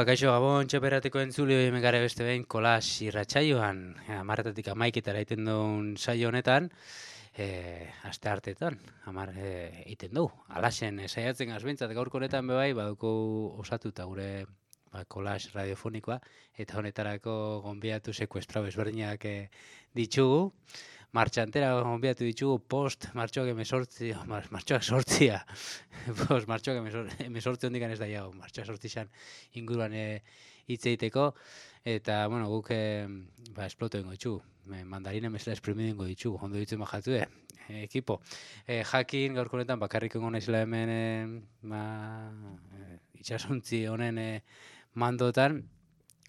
Kaixo Gabon txoperateko entzuli hori megare beste behin kolas irratsaioan, 10:00 11:00 egiten duen saio honetan, aste hartetan, 10 egiten du. Alaxen saiatzen gazbintzat gaurko honetan bebai, baduko osatuta gure kolas radiofonikoa, eta honetarako gonbiatu sekuestrau ezberdinak ditugu. Martxantera gonbiatu ditugu martxoak 18, martxoak 18 hondikan ez da iago, martxoak 18 inguruan hitz egiteko, eta, bueno, guk esploto ingo ditugu, mandarina mesela esprimidu ingo ditugu, ondo ditzen bajatu ekipo. Jakin gaurko honetan bakarrik ingo naizela hemen itxasuntzi honen mandotan,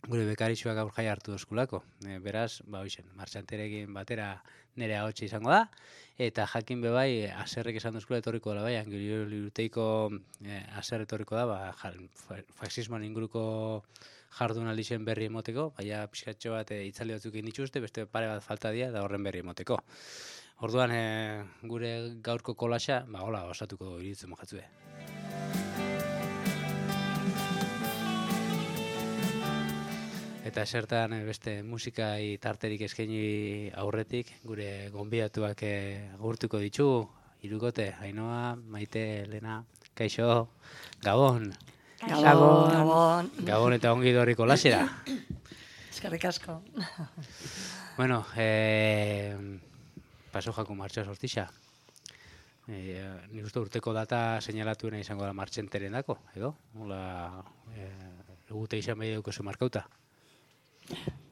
gure bekarixuak gaur jai hartu dozkulako. Beraz, martxanterekin batera nire ahotsa izango da, eta jakin bebai, aserrek esan dozkula etorriko dela bai, liruteiko aser etorriko da, faxismoan inguruko jardunaldi zen berri emoteko, baina pixkatxo bat itzaldi batzuk egin dituzte, beste pare bat falta dira, da horren berri emoteko. Orduan, gure gaurko kolaxa, hola, osatuko iritzen mojatzue. Eta esertan beste musikai tarterik eskaini aurretik, gure gonbidatuak agurtuko ditugu, hirukote, Ainhoa, Maite, Elena, Kaixo, Gabon. Gabon. Gabon eta ongi dorriko lasera. Eskerrik asko. Bueno, paso jako martxa sortixa. Nik uste urteko data seinalatuena izango da martxenteren dako, edo? Hola, egute izan behi duko zu markauta.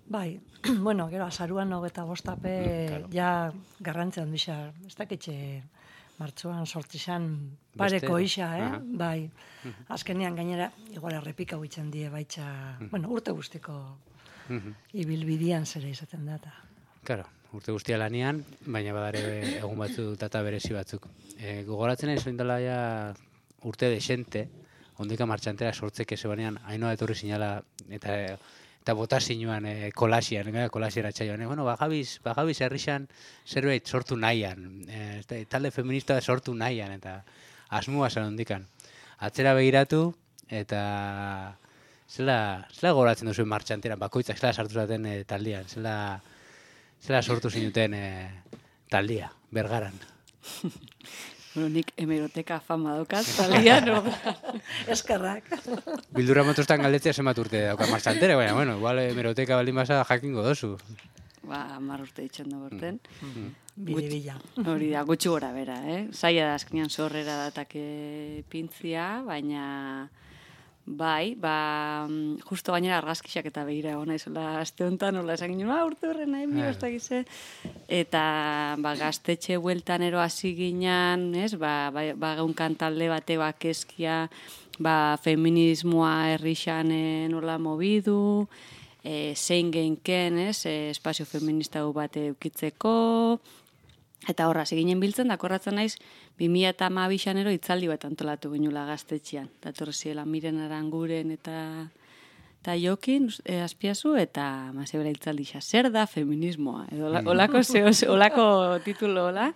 Bai, bueno, gero, azaruan 25 ja garrantzean bisa, ez dakitxe martxoan sortizan pareko isa, bai. Azkenean gainera, igual errepika huitzen die baitxa, bueno, urte guztiko ibilbidian zera izaten data. Claro, urte guztia lanian, baina badare egun batzu data berezi batzuk. Gogoratzen nahi zoin dela ja urte desente, ondika martxantera sortzeke zebanean, Ainhoa etorri zinala, eta bota zinuan kolasian, kolasiera txaioan. Bueno, bagabiz herrixan zerbait sortu nahian, talde feminista sortu nahian, eta asmua zen ondikan. Atzera begiratu, eta zela gogoratzen duzuen martxanteran, bakoitzak zela sartu zaten taldian, zela sortu zinuten taldia, Bergaran. Bueno, nik hemeroteka fama daukat, taldean, Eskerrak. Bildura motostan galdetzea zenbat urte dauka martxantere, baina, bueno, igual hemeroteka baldin basa jakingo dozu. 10 urte ditzen dugu urten. Bide-bila. Hori da, gutxi gora bera, Zaila da azkenean zorrera datake pintzia, baina bai, justo gainera argazkixak eta begira gona izola aste honetan, nola esan ginen, urte horren nahi, ez dakize. Eta gaztetxe bueltan ero hasi ginen, gaunkan talde bate bakezkia, feminismoa herrixan nola mobidu, zein genken, espazio feminista bate eukitzeko, eta horra, ginen biltzen, dakorratzen naiz, 2012 ero itzaldi bat antolatu ginula gaztetxean. Datorre ziela Miren Aranguren eta Jokin, azpiazu, eta mazebera itzaldi xa, zer da feminismoa, edo olako titulo hola.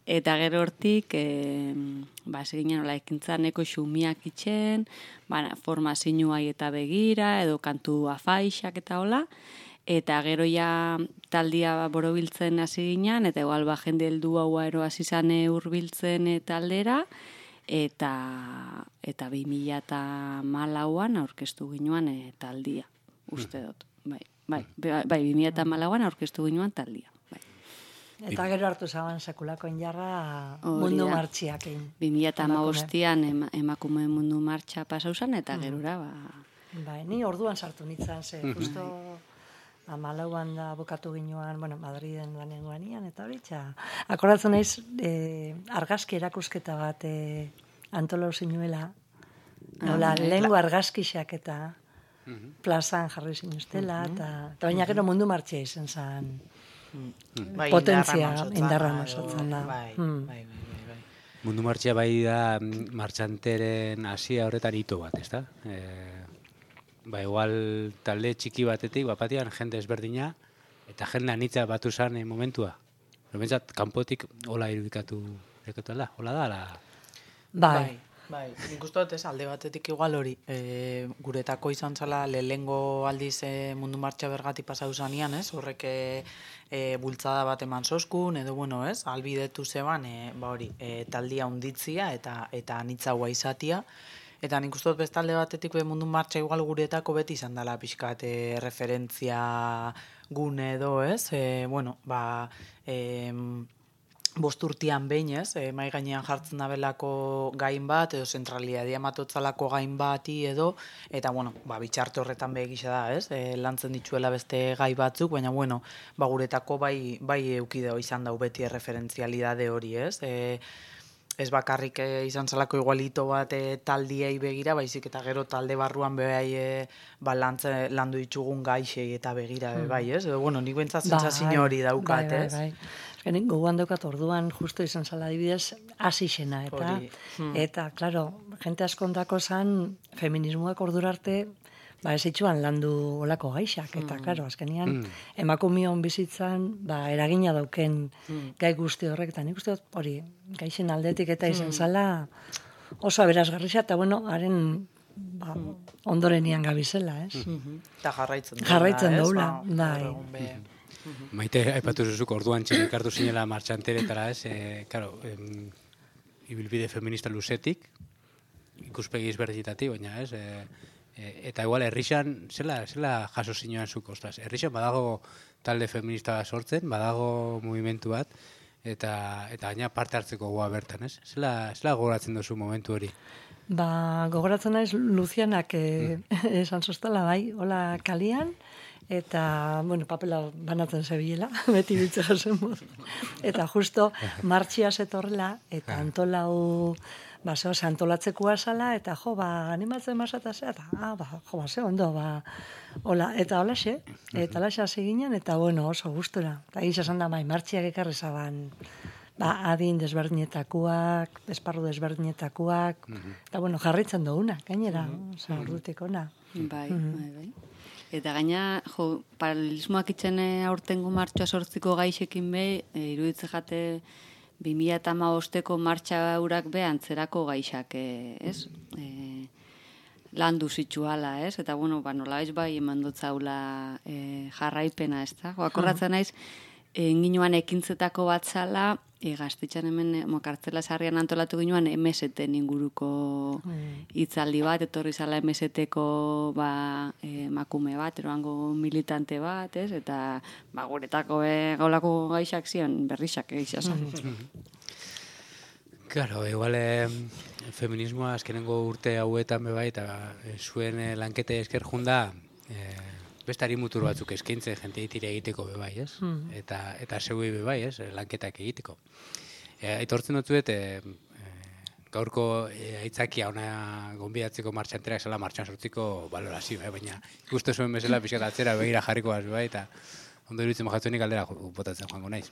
Eta gero hortik, seginen hola ekintzan eko xumiak itxen, formazioai eta begira, edo kantu afaixak eta hola, eta gero ja taldia borobiltzen hasi ginen, eta igual jende heldu hau ero hasi zane hurbiltzen taldera, eta 2014an aurkeztu ginoan taldia, uste dut. Bai, 2014an aurkeztu ginoan taldia. Eta gero hartu zaban sekulako injarra mundu martxiakin. 2015an emakume mundu martxa pasauzan, eta gerora, Bai, ni orduan sartu nintzen, justo 14an da bukatu ginuan, Madriden lanengoan ian, eta hori akordatzen naiz, argazki erakusketa bat antolau zinuela, lehengo argazkixak eta plazan jarri zinuztela, eta baina gero mundu martxia izan zen potentzia indarra nosotzen da. Mundu martxia bai da martxanteren hasia horretan hito bat, ez da? Igual talde txiki batetik, batian jende ezberdina, eta jende anitza batu zan momentua. Bentsat, kanpotik hola irudikatu da, hola da? Bai, Bai, nik uste dut ez alde batetik igual hori, guretako izan zala lehengo aldiz mundu martxa bergati pasau zanean, ez? Horrek bultzada bat eman soskun, edo bueno, ez? Albidetu zeban, hori, taldia unditzia eta anitzaua izatia. Eta nik uste dut bestalde batetik mundu martxa igual guretako beti izan dela pixkat referentzia gune edo, ez? Bost urtean behin, ez, mai gainean jartzen dabelako gain bat, edo zentralidadia matotzalako gain bati edo, eta, bitxarte horretan begisa da, ez, lantzen dituela beste gai batzuk, baina, guretako bai eukideo izan dau beti referentzialidade hori, ez, ez bakarrik izan zelako igualito bat taldiei begira, baizik eta gero talde barruan behai landu ditugun gaixei eta begira, bai, ez, edo, nik bentsat zentzazio hori daukat, ez. Nik gogoan daukat orduan justo izan zala adibidez asixena eta claro, jente askontako zan feminismoak ordura arte ez itxuan landu olako gaixak eta claro, azkenian emakumion bizitzan eragina dauken gai guzti horrek eta nik uste dut hori gaixen aldetik eta izan zala oso aberasgarria eta haren ondorenian gabizela, ez? Eta jarraitzen daula, bai. Maite, aipatu zuzuk, orduan txelik hartu zinela martxanteretara, ez, ibilbide feminista luzetik, ikuspegi ezberdinetatik, baina, ez, eta igual, herrixan, zela jaso zinean zuk, ostras, herrixan badago talde feminista sortzen, badago movimentu bat, eta gaina parte hartzeko goa bertan, ez? Zela gogoratzen duzu momentu hori? Gogoratzen naiz Lucianak esan zoztela, bai, hola kalian, eta, papela banatzen zebilela, beti bitze jasen modu. Eta justo martxia zetorrela, eta antolau, antolatzekoa zala, eta animatzen masata zea, eta, ze ondo, hola, eta holaxe, eta holaxe hasi ginen, eta, oso gustura. Eta gizazan da, martxiak ekarri zaban, adin desberdinetakoak, esparru desberdinetakoak, eta, jarritzen duguna, gainera, ordutik ona. Bai. Eta gaina, paralelismoak itxen aurtengo martxoa sortziko gaixekin iruditze jate 2015ko martxa urak antzerako gaixak, ez? Landu zitsuala, ez? Eta, nolabez bai eman dutzaula jarraipena, ez da? Akorratzen naiz, ginoan ekintzetako bat zala, gaztetxan hemen kartzela sarrian antolatu ginoan MST-en inguruko hitzaldi bat, etorri zala MST-ko makume bat, eroango militante bat, ez? Eta guretako gaulako gaixak zion berrixak egizazan. Claro, igual feminismoa azkenengo urte hauetan bebai, eta zuen lankete esker junda, bestari mutur batzuk eskaintzen jente itire egiteko bebai, ez? Eta zeui bebai, ez? Lanketak egiteko. Aitortzen dutzuet, gaurko aitzakia ona gonbidatzeko martxanterak zela martxan sortziko balorazio, baina ikuste zuen bezala pixkat atzera begira jarriko bat bebai, eta ondo iruditzen mojatzen aldera botatzen joango naiz.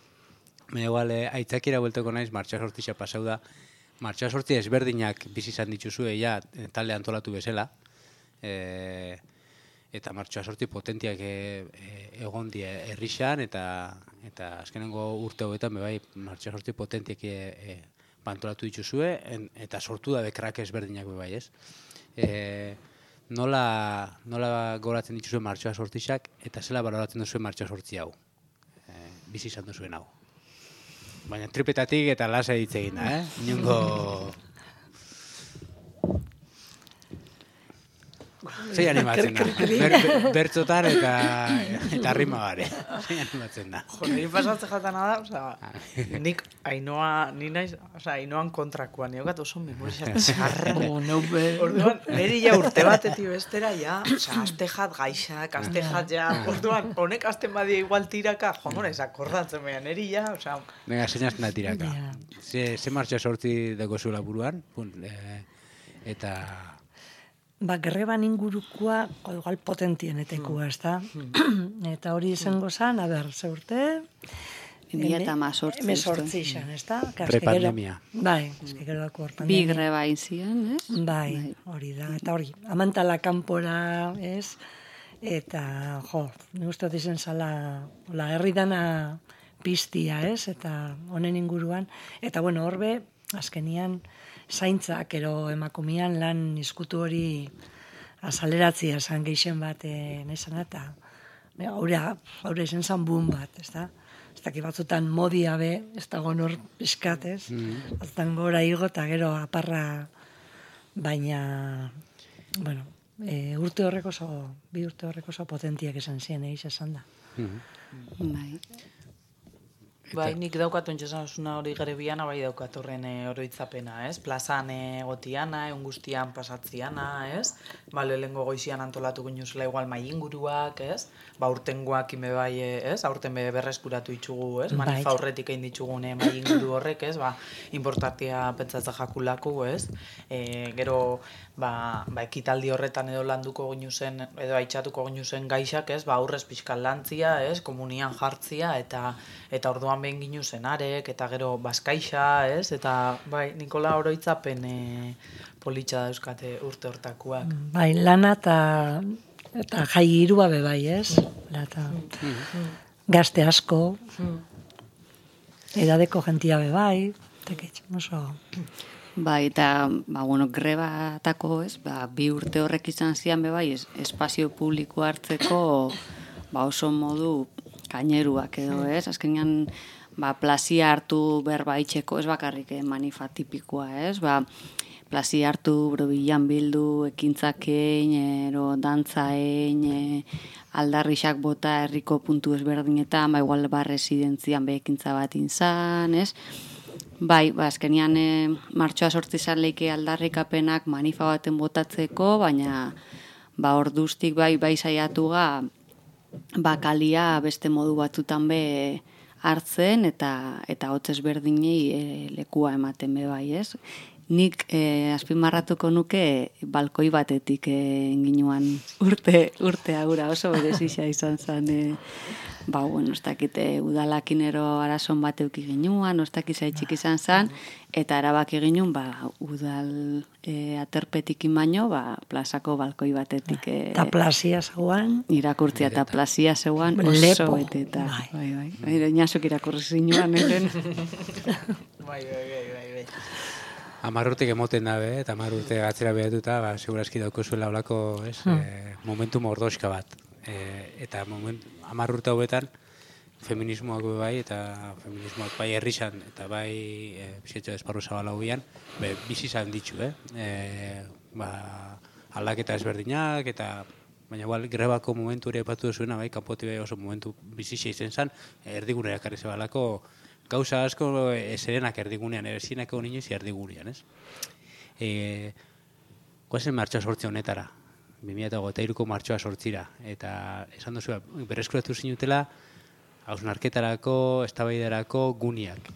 Igual, aitzakira buelteko naiz, martxa sortzixa pasau da, martxa sortzi ezberdinak bizi izan dituzue, talde antolatu bezala, eta martxoa sortzi potentiak egon die herrixan, eta azkenengo urte hauetan, bebai, martxoa sortzi potentiak antolatu dituzue, eta sortu da bekrak ezberdinak bebai, ez? Nola goratzen dituzue martxoa sortzixak, eta zela baloratzen duzue martxoa sortzi hau? Bizi izan duzuen hau. Baina tripetatik eta lasa hitz egin da, Inongo... Zei animatzen da. Bertzotan eta rima gare. Zei animatzen da. Nire pasatzen jatana da, nik Ainoan kontrakoan, niokat oso memorizatzen zarra. Orduan, niri urte batetik bestera, aste jat gaixak, aste jat orduan, honek asten badia igual tiraka, akordatzen behan, niri Venga, seinazten da tiraka. Ze martxa sortzi deko zuela buruan, eta... Greban ingurukoa, igual potentienetekua, ez da? Eta hori izango zan, ze urte? 2018. 2018, ez da? Prepandemia. Bai, gero dako hor pandemia. Bi greba inzian, ez? Bai, hori da. Eta hori, amantala kanpora, ez? Eta, nik uste dizen zala, herri dana piztia, ez? Eta honen inguruan. Eta, horbe, azkenian, zaintzak ero emakumean lan izkutu hori azaleratzia esan geixen bat naizan eta haure izan zan boom bat, ez da? Ez daki batzutan modia be, ez dago nor piskat, ez? Batzutan gora igo eta gero aparra, baina, bueno, bi urte horrek oso potentiak esan ziren, esan da. Bai. Bai, nik daukat ontxesan hori garebiana, bai daukat horren oroitzapena, ez? Plazan gotiana, egun guztian pasatziana, ez? Ba, lehengo goizian antolatu ginuzela igual mai inguruak, ez? Ba, urtengoak ime bai, ez? Aurten berreskuratu itxugu, ez? Manifa horretik egin ditxugune mai inguru horrek, ez? Ba, importantia pentsatza jakulako, ez? Gero, ba, ekitaldi horretan edo landuko ginuzen, edo aitxatuko ginuzen gaixak, ez? Ba, aurrez pixkan lantzia, ez? Komunian jartzia, eta orduan behin ginuzen arek, eta gero bazkaixa, ez? Eta, bai, Nikola oroitzapen politxa dauzkate urte hortakuak. Bai, lana eta jai irua be bai, ez? Eta gazte asko, edadeko jentia be bai, oso... Bai, eta, bueno, grebatako, ez, 2 urte horrek izan zian be bai, espazio publiko hartzeko, oso modu kaineruak edo, ez? Azkenean, plazia hartu berba itxeko, ez bakarrik manifa tipikoa, ez? Plazia hartu, bilan bildu, ekintzakein, dantzaein, aldarrixak bota herriko puntu ezberdinetan, igual residentzian be ekintza bat inzan, ez? Bai, azkenean martxoa sortzi zan leike aldarrikapenak manifa baten botatzeko, baina orduztik bai saiatu kalia beste modu batzutan be hartzen eta hotz ezberdinei lekua ematen be bai, ez? Nik azpimarratuko nuke balkoi batetik ginuan urte agura oso berezia izan zen. Bueno, ez dakite udalakinero arazon bat euki ginuan, ez dakit zaitxik izan zen, eta erabaki ginuen, udal aterpetik baino, plazako balkoi batetik. Eta plazia zeuan. Irakurtzia eta plazia zeuan oso beteta. Bai. Inazuk irakurri zinuan, eren. Bai. 10 urtek emoten dabe, eta 10 urte gatzera behatuta, segurazki dauko zuela olako, momentu mordoska bat. Eta 10 urte hauetan, feminismoak bai, eta feminismoak bai herrixan, eta bai bizietxo esparru zabala hobian, bizi izan ditu, aldaketa ezberdinak, eta baina grebako momentu ere epatu duzuena, bai, kanpoti bai oso momentu bizitza izan zen, erdigunera ekarri zebalako, gauza asko eserenak erdigunean, ezinako inoiz erdigunean, ez? Guazen martxoa sortzi honetara, 2023ko martxoa sortzira, eta esan duzu, berreskuratu zinutela, hausnarketarako, eztabaidarako guniak.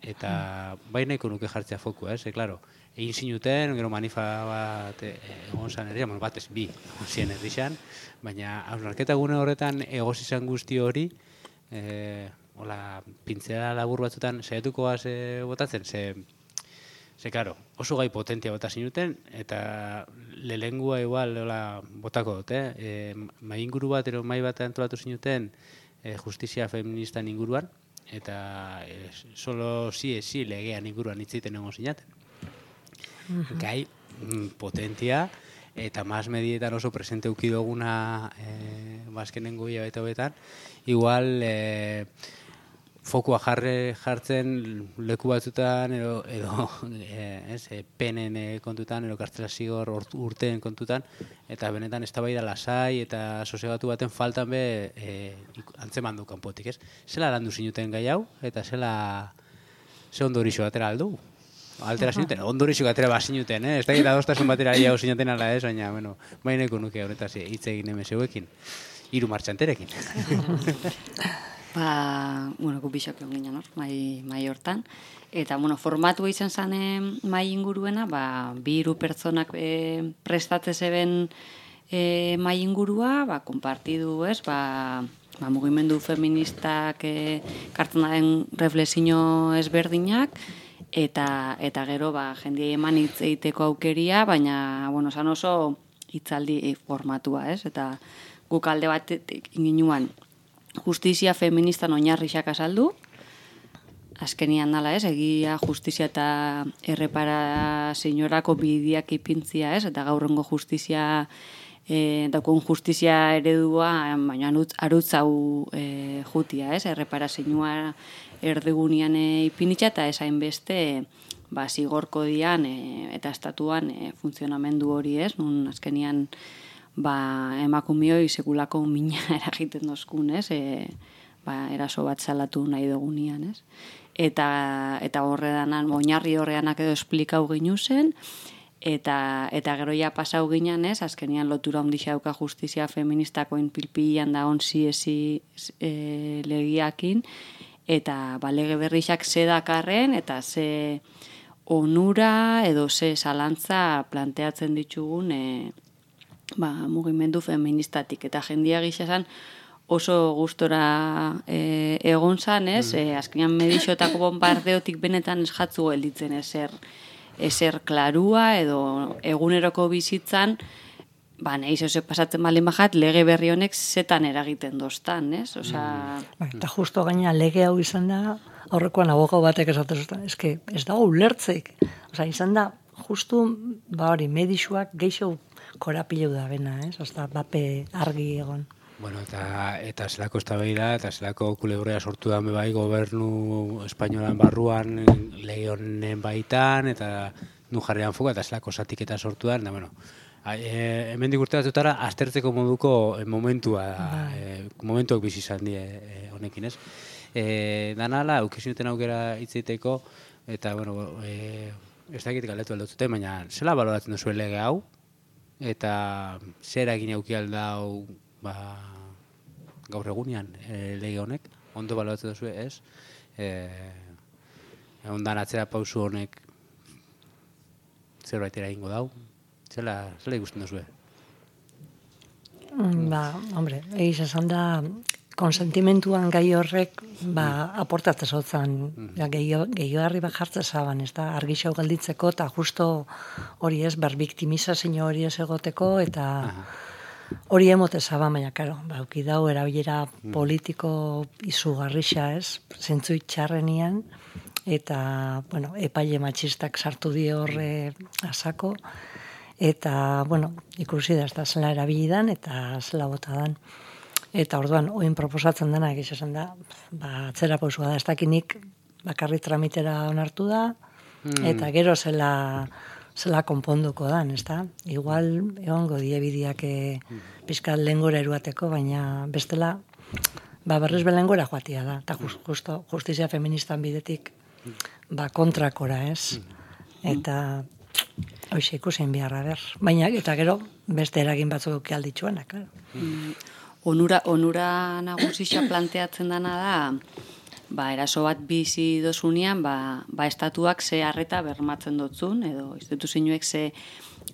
Eta baineko nuke jartzea foku, ez? Klaro, egin zinuten, gero manifa bat egon zan herrian, bat ez bi, egon ziren herrixan, baina hausnarketa gune horretan egoz izan guzti hori, pintzela labur batzutan saiatuko botatzen, ze karo, oso gai potentia bota zinuten, eta lelengua igual botako dut, mai inguru bat, mai bat antolatu zinuten justizia feministan inguruan, eta solo si legean inguruan hitziten egon zinaten. Gai potentia, eta mas medietan oso presente uki duguna bazkenengo hilabete hobetan, igual fokua jartzen leku batzutan edo penen kontutan, edo kartzela zigor urteen kontutan, eta benetan eztabaida lasai eta sosegatu baten faltan be antzeman du kanpotik, ez? Zela landu zinuten gai hau, eta ze ondorixo atera aldu? Altera zinuten, ondorixo atera bazinuten, ez da gira adostasun batera jau zinuten ala ez, baina, baineko nuke horretaz hitz egin emezeuekin, 3 martxanterekin. Gu bisok egon ginen, mai hortan. Eta, formatu izan zen mai inguruena, 2 pertsonak prestatze zeben mai ingurua, konpartidu, ez, mugimendu feministak kartzen daren reflexio ezberdinak, eta gero, jendiei eman hitz egiteko aukeria, baina, zan oso hitzaldi formatua, ez, eta guk alde bat ginuan, justizia feministan oinarrixak azaldu, azkenian dala, egia justizia eta erreparazioarako bideak ipintzia, eta gaurrengo justizia daukun justizia eredua, baina arutz hau jutia, erreparazioa erdigunean ipinitza eta esain beste zigorko dian eta estatuan funtzionamendu hori, nun azkenian emakumioi sekulako mina eragiten dozkun, eraso bat salatu nahi dugunean, eta horredanan, oinarri horreanak edo esplikau ginu zen, eta gero ja pasau ginen, azkenian lotura ondixa dauka justizia feministakoin pilpilan da onzi legiakin, eta lege berrixak ze dakarren, eta ze onura edo ze zalantza planteatzen ditugun mugimendu feministatik. Eta jendia gisa oso gustora egon zan, azkenean medixotako bombardeotik benetan ez jatzu gelditzen ezer klarua edo eguneroko bizitzan, nahiz pasatzen baldin bajat, lege berri honek zetan eragiten doztan, Eta justo gaina lege hau izan da, aurrekoan abogau batek esaten zuten, ez dago ulertzeik. Izan da, justu, hori, medixuak geixo korapileu da bena, Osta, bape argi egon. Bueno, eta zelako eztabaida eta zelako kulebrea sortu da bai gobernu espainolan barruan lege honen baitan eta nu jarrian fuga eta zelako zatiketa sortu da, bueno, hemendik urte batzutara aztertzeko moduko momentuak bizi izan die honekin, danala, aukezinuten aukera hitzeiteko, eta, bueno, ez dakit galdetu aldotzute, baina zela baloratzen duzu lege hau, eta zer egin auki aldau gaur egunean lege honek, ondo baloratzen duzu, ondan atzera pausu honek zerbait eragingo dau, zela ikusten duzu? Hombre, egiz esan da, konsentimentuan gai horrek aportatzen zotzen, gehiagarri bat jartzen zaban, argixau galditzeko, eta justo hori berbiktimizazio hori ez egoteko, eta hori emote zaban, baina, karo, ukidau erabilera politiko izugarrixa, zentzu txarrenian, eta, bueno, epaile matxistak sartu di horre asako, eta, bueno, ikusi da, ez da zela erabilidan, eta zela botadan. Eta orduan, oin proposatzen dena, egiz esan da, atzera pausua da, ez dakinik bakarri tramitera onartu da, eta gero zela konponduko dan, ez da? Igual, egongo diebidiak pizkat lehengora eruateko, baina bestela, berriz belengora joatia da, eta justizia feministan bidetik kontrakora, ez? Eta hoxe ikusen biharra ber. Baina, eta gero, beste eragin batzuk alditzuena, klaro. Onura nagusia planteatzen dana da, eraso bat bizi dozunean, estatuak ze arreta bermatzen dotzun, edo instituzioek ze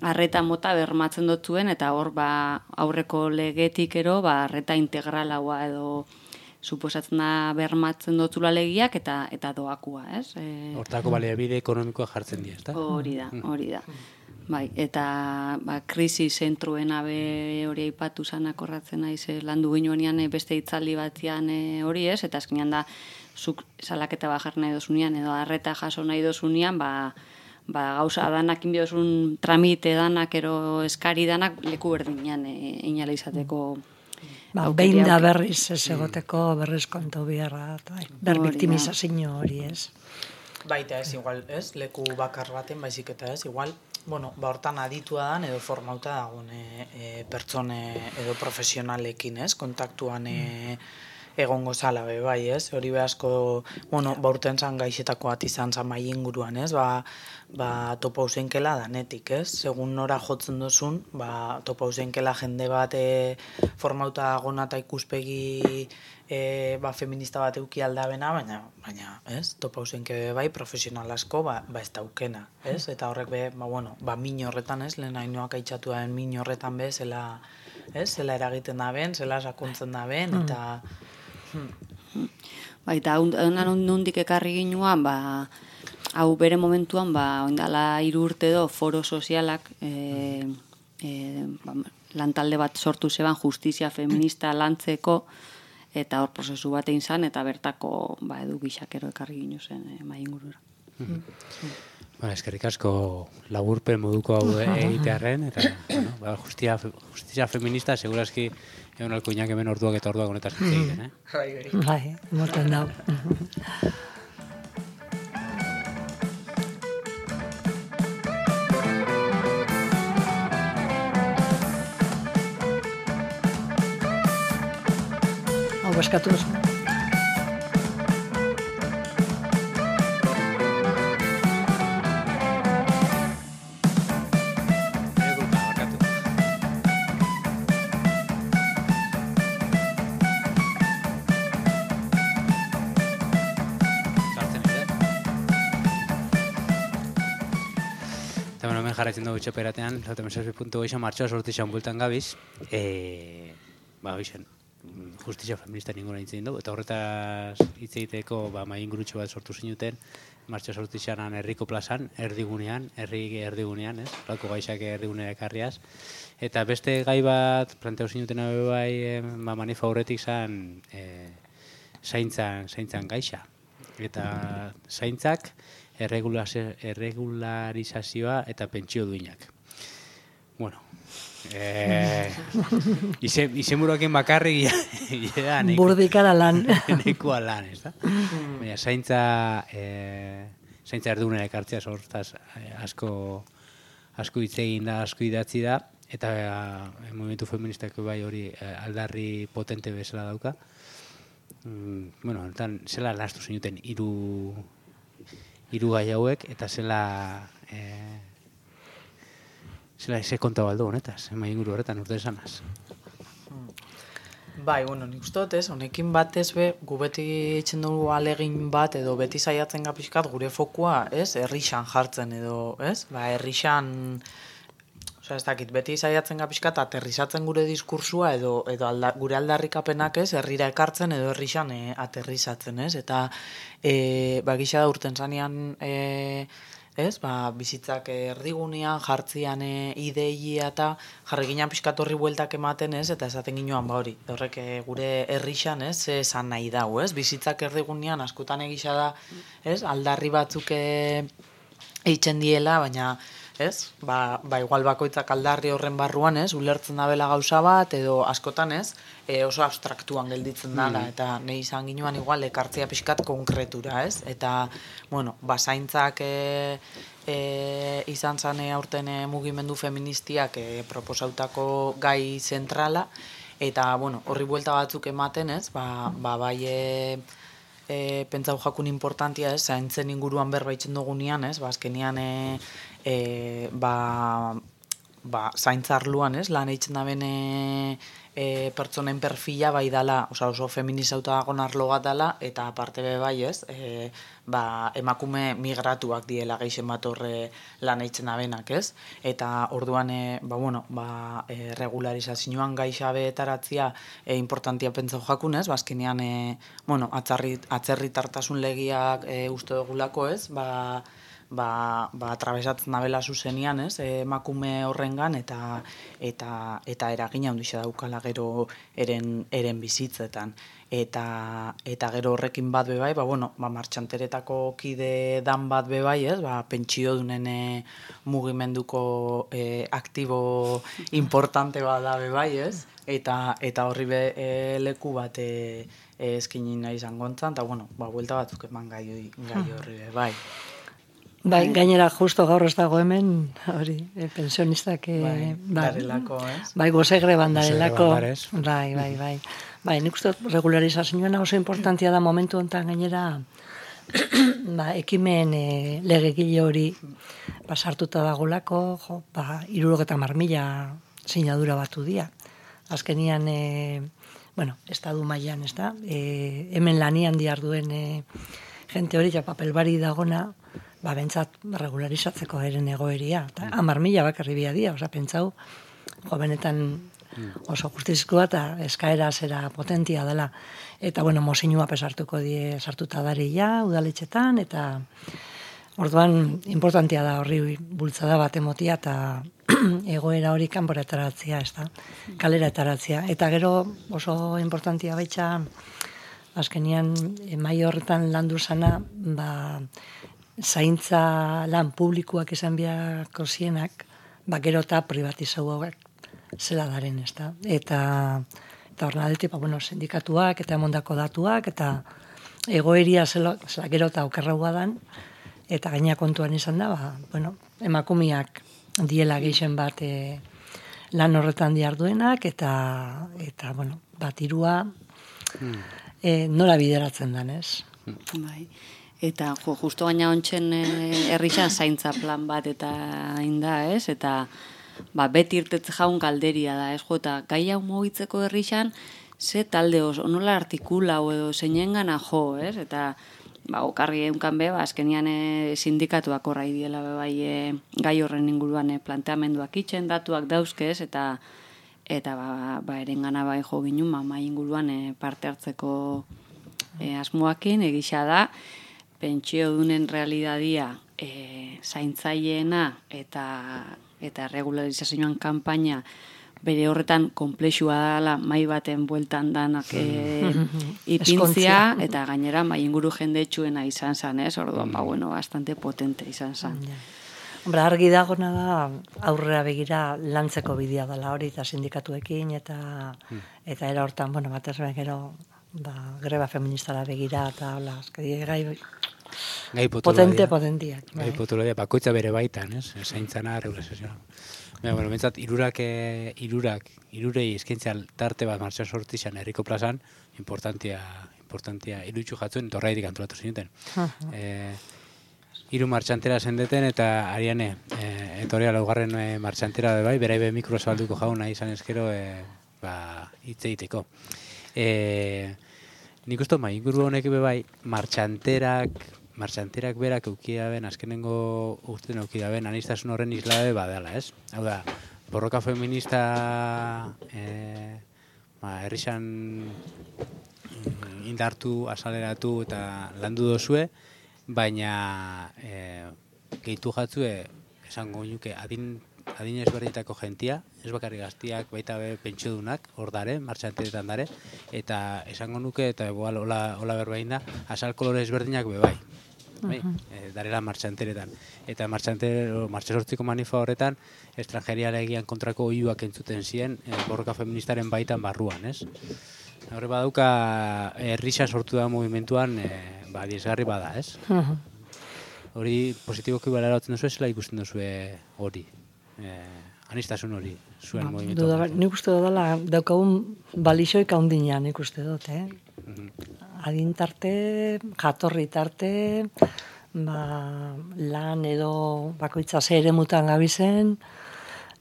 arreta mota bermatzen dotzuen, eta hor aurreko legetik ero, arreta integralaua edo suposatzen da bermatzen dotzula legiak eta doakua, ez? Hortako baliabide ekonomikoa jartzen dira, ezta? Hori da. Bai, eta krisi zentruen hori aipatu zanak horratzen naiz landu ginuenean beste hitzaldi batean hori, ez? Eta azkenean da, zuk salaketa bajar nahi dozunean, edo arreta jaso nahi dozunean, gauza danak inbiozun tramite danak, ero eskari danak, leku berdinean inala izateko. Behin da berriz ez egoteko berriz kontu biharra, berbiktimizazio hori, ez? Baita ez, igual, ez? Leku bakar baten, baizik eta ez, igual, bueno, hortan aditua dan edo formauta dagoen pertsone edo profesionalekin, ez? Kontaktuan egongo zala bai, ez? Hori behazko, bueno, urten zan gaixetako bat izan zan mai inguruan, ez? Topa usenkela danetik, ez? Segun nora jotzen dozun, topa usenkela jende bat formauta gona eta ikuspegi feminista bat euki aldabena, baina, ez? Topa usenke bai, profesional asko, ez daukena, ez? Eta horrek min horretan, ez? Lehen hainoak aitxatu den min horretan be, zela eragiten da ben, zela sakontzen da ben, eta... Eta nondik ekarri ginuan, hau bere momentuan, oindala 3 urte edo foro sozialak lantalde bat sortu zeban justizia feminista lantzeko, eta hor prozesu bat egin zan, eta bertako edu gixakero ekarri gino zen mai ingurura. Eskerrik asko laburpen moduko hau egitearren, eta justizia feminista segurazki egon alko inak hemen orduak eta orduak honetaz hitz egiten, Bai, morten dau. Hau baskatu oso. Jarraitzen dugu txaperatean, lautamesazpi.8 martxoa sortizan bultan gabiz, justizia feminista ninguna hitz egin dugu, eta horretaz hitz egiteko mai ingurutxo bat sortu zinuten, martxoa sortizanan herriko plazan, erdigunean, lako gaixak erdigunea ekarriaz, eta beste gai bat planteo zinuten bai manifa horretik zan zaintzan gaixa, eta zaintzak erregularizazioa eta pentsio duinak. Bueno, izenburuakin bakarrik burdikara lan. Nekua lan, ez da? Baina, zaintza erdunera ekartzea sortaz asko hitz egin da, asko idatzi da, eta movimentu feministako bai hori aldarri potente bezala dauka. Bueno, zela lastu zinuten hiru gai hauek, eta zela eze konta baldo honetaz, mai inguru horretan urte esanaz. Bai, nik uste dut, honekin batez gu beti itxen dugu alegin bat, edo beti saiatzen gapiskat gure fokua, herrixan jartzen edo, herrixan, ez dakit, beti saiatzen gapiskat aterrizatzen gure diskursua edo gure aldarrikapenak herrira ekartzen edo herrixan aterrizatzen, eta gisa da urten zanean, bizitzak erdigunean, jartzian ideia eta jarri ginen pixkat horri bueltak ematen, eta esaten ginoan hori, horrek gure herrixan, esan nahi dau, bizitzak erdigunean askotan egisa da, aldarri batzuk eitzen diela, baina, igual bakoitzak aldarri horren barruan, ulertzen da bela gauza bat, edo askotan, oso abstraktuan gelditzen dala, eta nahi izan ginoan igual ekartzea pixkat konkretura, eta, zaintzak izan zane aurten mugimendu feministiak proposautako gai zentrala, eta, horri buelta batzuk ematen, bai pentsau jakun importantia, zaintzen inguruan berbaitzen dugunean, azkenean zaintzarluan, lan eitzen da bene pertsonen perfila bai dala, oso feminizauta dagoen arlo bat dala, eta aparte bai emakume migratuak diela geixen bat horre lan eitzen da benak, eta orduan regularizazioan gaixa importantia pentsau jakun, azkenean atzerritartasun legiak uste dugulako, atrabesatzen dabela zuzenian, emakume horrengan, eta eragina handia daukala gero eren bizitzetan. Eta gero horrekin bat bebai, martxanteretako kide dan bat bebai, pentsio dunen mugimenduko aktibo importante bat da bebai, eta horri leku bat eskinin nahi izango entzan, eta buelta batzuk eman gai horri bebai. Bai, gainera justo gaur ez dago hemen, hori, pensionistak, darelako, bai, gozegre bandarelako, bai. Bai, nik uste regularizazioa oso importantia da momentu honetan gainera, ekimen legegile hori sartuta dagolako, 70.000 sinadura batu dira. Azkenian, estadu mailan, ez da, hemen lanian diarduen jente hori, papelbari dagona, bentsat regularizatzeko eren egoeria. 10.000 bakarri biadia, pentsau, benetan oso justizkoa eta eskaera zera potentia dela. Eta, mozinua pesartuko die sartuta daria, udaletxetan, eta orduan importantia da horri bultzada bat emotia, eta egoera hori kanpora ateratzea, ez da, kalera ateratzea. Eta gero oso importantia baitza, azkenian, mai horretan landu zana, zaintza lan publikoak izan biako zienak, gero eta privatizauak zela daren, ez da. Eta horren aldetik, sindikatuak eta emondako datuak, eta egoeria zela gero eta okerraua dan, eta gaina kontuan izan da, emakumiak diela geixen bat lan horretan diarduenak, eta irua nola bideratzen dan, ez? Bai. Eta justo gaina ontsen herrixan zaintza plan bat eta inda, ez? Eta beti irtetze jaun galderia da, ez? Eta gai hau mugitzeko herrixan, ze talde oso, nola artikula edo zeinen gana jo, ez? Eta okarri eunkan be, azkenian sindikatuak horra idiela bai gai horren inguruan planteamenduak itxen, datuak dauzkez, eta erengana bai jo ginen, mai inguruan parte hartzeko asmoakin, egisa da, pentsio dunen realidadia zaintzaileena eta regularizazioan kanpaina bere horretan komplexua dela mai baten bueltan danak ipintzia, eta gainera mai inguru jendetsuena izan zan, ez? Orduan, bastante potente izan zan. Argi dagona da aurrera begira lantzeko bidea dela hori, eta sindikatuekin, eta era hortan, batez gero greba feministara begira, eta hola, gai potentiak. Gai potolodia, bakoitza bere baitan, ez? Zaintzana, regularizazioa. Bentsat, irurei eskaintzea tarte bat martxan sortizan herriko plazan, importantia irutxu jatzuen, eta horreitik antolatu zinuten. Hiru martxantera zendeten, eta ariane, etorea laugarren martxantera bai, beraibe mikro zabalduko jauna izan ezkero, hitz egiteko. Nik uste, inguru honek bai, martxanterak berak eukidaben, azkenengo urten eukidaben, aniztasun horren islabe badala, ez? Hau da, borroka feminista herrixan indartu, asaleratu eta landu dozue, baina gehitu jatzue, esango nuke, adin ezberdinetako jentia, ez bakarrik gaztiak, baita pentsiodunak, hor dare, martxanteretan dare, eta esango nuke, eta hola berbain da, azal kolore ezberdinak bai. Darela martxanteretan. Eta martxasortziko manifa horretan, estrangerialegian kontrako oiuak entzuten ziren, borroka feministaren baitan barruan, ez? Horre badauka, herrisa sortu da movimentuan, diesgarri bada, ez? Hori positiboki balaratzen duzu, zela ikusten duzu hori, anistasun hori, zuen movimentu. Nik uste dela, daukagun balixoik haundinean nik uste dut, adintarte, jatorri tarte, lan edo bakoitza ze ere mutan gabizen,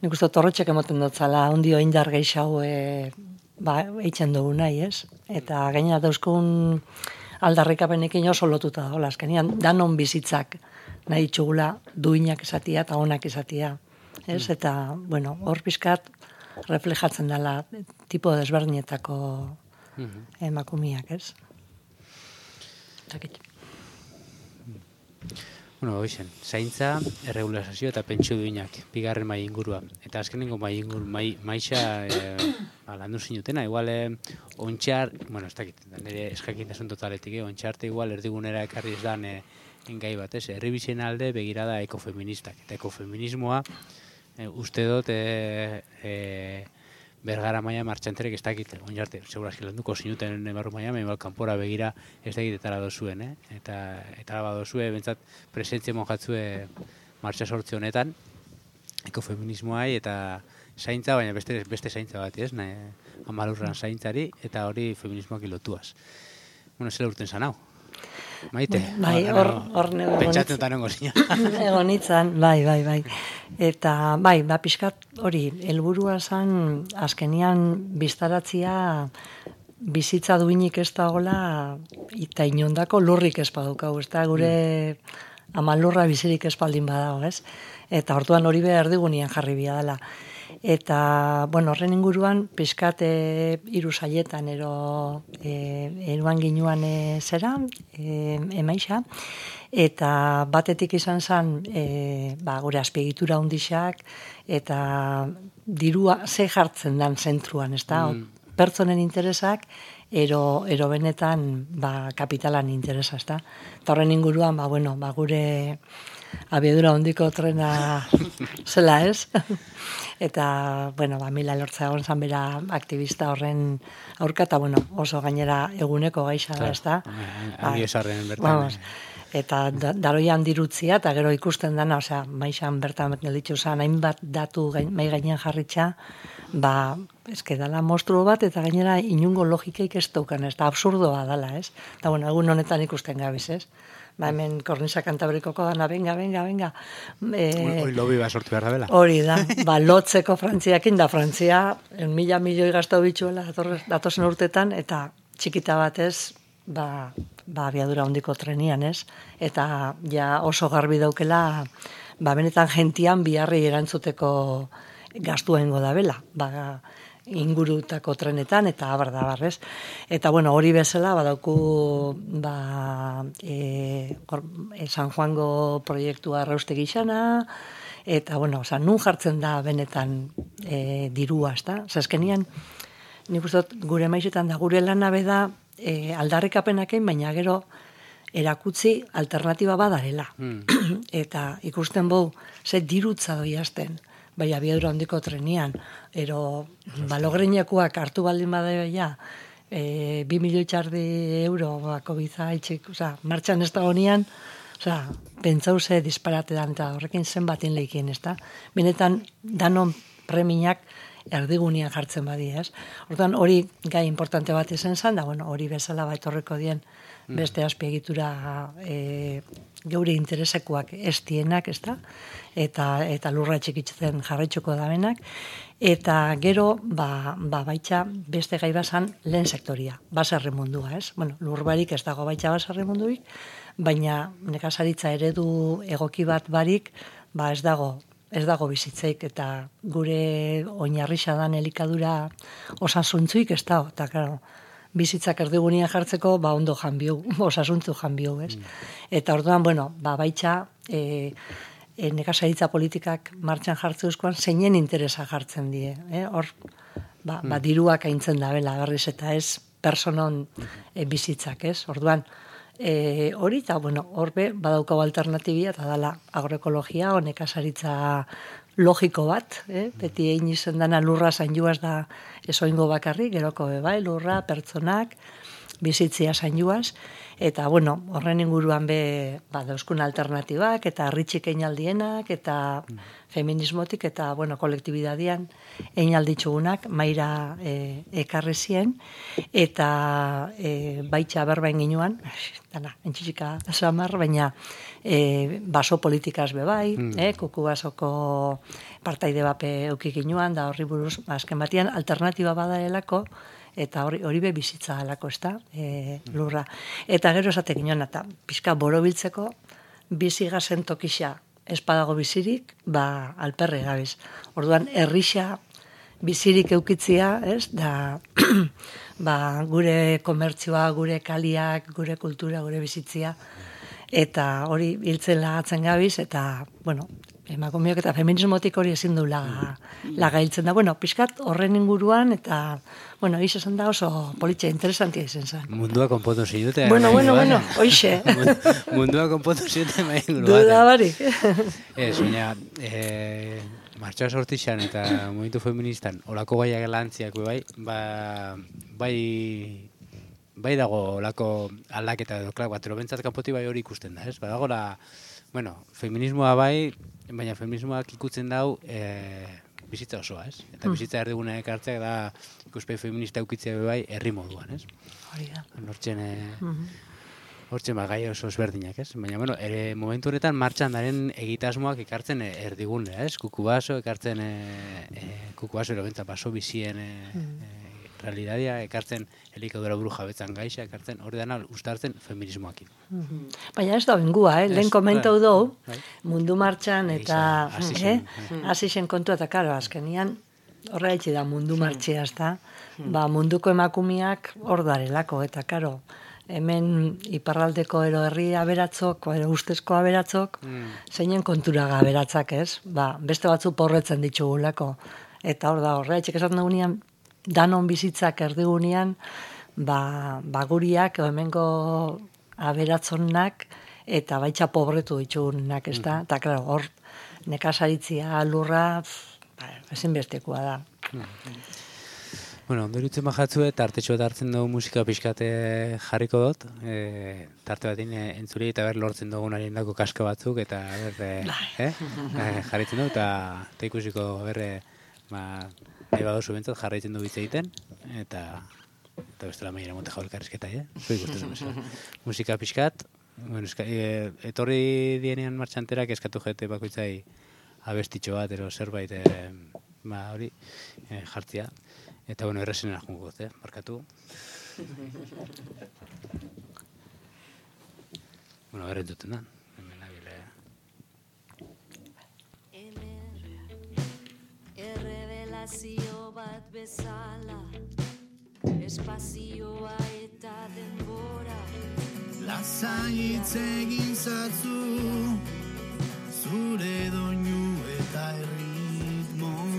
nik uste torrotxek emoten dutzala, ondio indar gehiago eitzen dugu nahi, ez? Eta gaina dauzkun aldarrikapenekin oso lotuta da, azkenian danon bizitzak nahi txugula duinak esatia eta onak esatia, ez? Eta, hor pizkat reflejatzen dela tipo desberdinetako emakumiak, ez? Hoxen, zaintza, erregularizazio eta pentsio duinak, bigarren mai ingurua. Eta azkenengo maixa landu zinutena, igual ontxar, ez dakit, nire eskakintasun totaletik, ontxarte igual erdigunera ekarri ez dan gai bat, ez? Herribizien alde begirada ekofeministak. Eta ekofeminismoa, uste dut, Bergara maia martxanterek ez dakit, onjarte, segurazki landuko zinuten barru maia, mehibal kanpora begira ez dakit etara dozuen, Eta badozue, bentsat, presentzia monjatzue martxa sortze honetan, ekofeminismoai eta zaintza, baina beste zaintza bat, ez? Amalurran zaintzari, eta hori feminismoak ilotuaz. Zela urten zan hau? Maite? Bai, hor nego pentsatzen eta nengo zina. Egonitzan, bai. Eta, pixkat hori, helburua zan, azkenian biztaratzia bizitza duinik ez da gola, eta inondako lurrik ez badukau, ez da gure ama lurra bizirik espaldin badago, ez? Eta orduan hori behar erdigunean jarri bia dela. Eta, bueno, horren inguruan, pixkat hiru saietan eruan ginuan zera, emaixa, eta batetik izan zen gure azpiegitura hundixak, eta dirua ze jartzen dan zentruan, ez da? Pertsonen interesak, ero benetan kapitalan interesa, ez da? Eta horren inguruan, gure abiadura hondiko trena zela, ez? Eta, Mila Lortza egon zan bera aktivista horren aurka, eta, oso gainera eguneko gaixa da, ez da? Hangi esarren bertan. Eta daroian dirutzia, eta gero ikusten dana, maixan bertan gelditu zen, hainbat datu mai gainean jarritxa, eske dala monstruo bat, eta gainera inungo logikeik ez daukan, ez da absurdoa dala, ez? Eta, egun honetan ikusten gabiz, ez? Hemen Kornisa Kantabrikoko dana, venga. Hori lobi sortu behar da bela. Hori da, lotzeko Frantziakin da, Frantzia 1.000 milioi gaztau bitxuela datozen urtetan, eta txikita batez, abiadura hondiko trenian, ez? Eta ja oso garbi daukela, benetan gentian biharri erantzuteko gastuengo da bela, ingurutako trenetan, eta abardabarrez. Eta, hori bezala, badauku San Juango proiektua arrauste gixana, eta, nun jartzen da benetan dirua, ez da? Zazkenian, nik uste gure maizetan da, gure lanabe da aldarrikapenakein, baina gero erakutzi alternatiba badarela. Eta ikusten bau, ze dirutza doi hasten, abiadura hondiko trenian, ero balogreinakoak hartu baldin badaia, 2 milioi txardi euro bako biza itxik, martxan ez da honian, pentsau ze disparate dan, eta horrekin zenbatin leikien, ez da? Benetan, danon preminak erdigunean jartzen badi, ez? Hortan, hori gai importante bat izan zen, da, hori bezala baitorreko dien beste azpiegitura geure interesekoak ez dienak, ez da? Eta lurra txikitzen jarraitzuko da benak. Eta gero, baitxa beste gai bazan lehen sektoria, baserri mundua, ez? Lurbarik ez dago baitxa baserri munduik, baina nekazaritza eredu egoki bat barik, ez dago bizitzeik, eta gure oinarrixa dan elikadura osasuntzuik ez dago, eta claro, bizitzak erdigunean jartzeko, ondo janbiu, osasuntzu janbiu, ez? Eta orduan, baitxa, nekazaritza politikak martxan jartze euskoan, zeinen interesa jartzen die, hor, diruak aintzen da bela, berriz, eta ez personon bizitzak, ez? Orduan, hori, eta, horbe, badaukau alternatibia, eta dala agroekologia, o nekazaritza logiko bat, beti egin izen dana lurra zainduaz da esoingo bakarri, geroko bai, lurra, pertsonak, bizitzia zainduaz, eta, horren inguruan dauzkun alternatibak, eta ritxik einaldienak, eta feminismotik, eta, kolektibidadian einalditzugunak, maira ekarri zien, eta baitxa berbain ginuan, dana, entxitxika samar, baina baso politikaz bebai, kuku basoko partaide bape eukik ginuan, da horri buruz, azken batian, alternatiba badaelako, eta hori be bizitza alako, ez da, lurra. Eta gero esate ginoen, eta pixka borobiltzeko, bizi gazen tokixa espadago bizirik, alperre gabiz. Orduan, herrixa bizirik eukitzia, ez, da, gure komertzioa, gure kaliak, gure kultura, gure bizitzia, eta hori hiltzen lagatzen gabiz, eta, emakumeok eta feminismotik hori ezin du lagailtzen da. Pixkat horren inguruan, eta, hiz esan da oso politxe interesantia izan zen. Mundua konpontu zidute. Hoixe. Mundua konpontu zidute main inguruan. Duda barik. Ez, baina, martxoa sortixan eta momentu feministan, olako gaiak lantziak bai dago olako aldaketa edo, klak, batero bentsat kanpoti bai hori ikusten da, ez? Badago feminismoa bai, baina feminismoak ikutzen dau bizitza osoa, ez? Eta bizitza erdiguna ekartzeak da ikuspegi feminista eukitzea bai herri moduan, ez? Hori da. Hortzen gai oso ezberdinak, ez? Baina, momentu honetan martxan daren egitasmoak ekartzen erdigunea, ez? Kukubaso, ekartzen kukubaso erobentza baso bizien realidadia, ekartzen elikadura buru jabetzan gaixa, ekartzen hori dana ustartzen feminismoakin. Baina ez da bengua, lehen komentau dugu, bai. mundu martxan eta hasi hasi zen kontua, eta karo, azkenian horra etxe da mundu martxea, ez da, ba, munduko emakumiak hor darelako, eta karo, hemen iparraldeko ero herri aberatzok, ero ustezko aberatzok, zeinen konturaga aberatzak, ez? Ba, beste batzu porretzen ditugulako. Eta hor da, horra etxek esaten dugunean, danon bizitzak erdigunean, ba guriak, hemengo aberatzonak, eta baitxa pobretu ditugunak, ez da? Eta, klaro, hor, nekazaritzia, lurra, ezinbestekoa da. Bueno, ondo irutzen bajatzue, tartetxo bat hartzen dugu musika pixkate jarriko dut, tarte batin entzuri eta ber lortzen dugun ariendako kaska batzuk, eta jarritzen dugu, eta ikusiko nahi badozu bentzat jarraitzen du bitz egiten, eta bestela mailera monte jau elkarrizketa, Zui guztezen bezala. Musika pixkat, bueno, etorri dienean martxanterak eskatu jete bakoitzai abestitxo bat, ero zerbait, hori jartzia. Eta, bueno, errezenera jungo dut, markatu. Bueno, berren duten da. Errevelazio bat bezala, espazioa eta denbora. Lasai hitz egin zatzu, zure doinu eta erritmoa.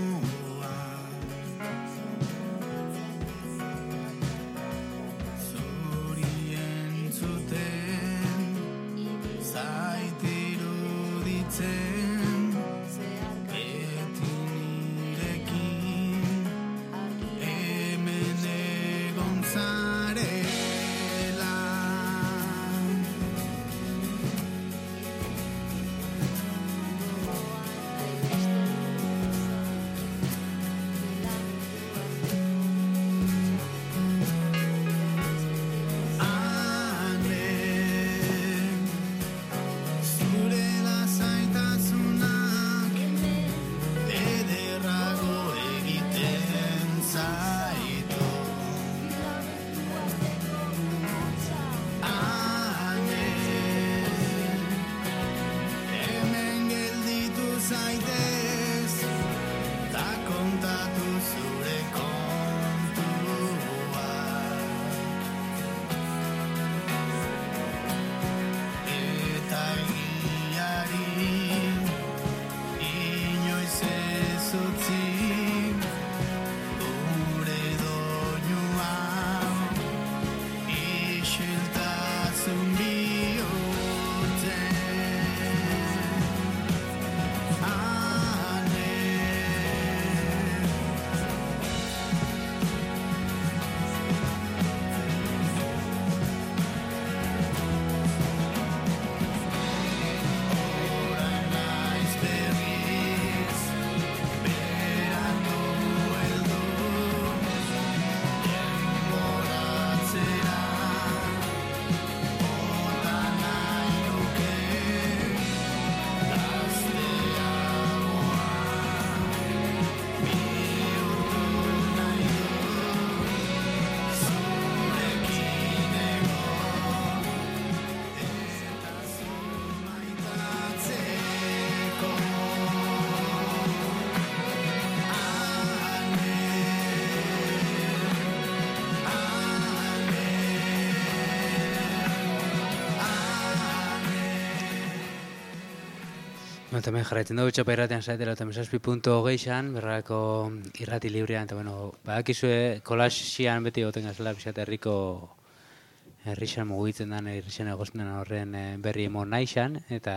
Hemen jarraitzen dugu txapa irratean zaitela eta mesazpi.hogeixan, berrako irrati librean, eta bueno, badakizue kolaxian beti goten gazela pixat herrixan mugitzen den, herrixan egosten den horren berri emon naixan, eta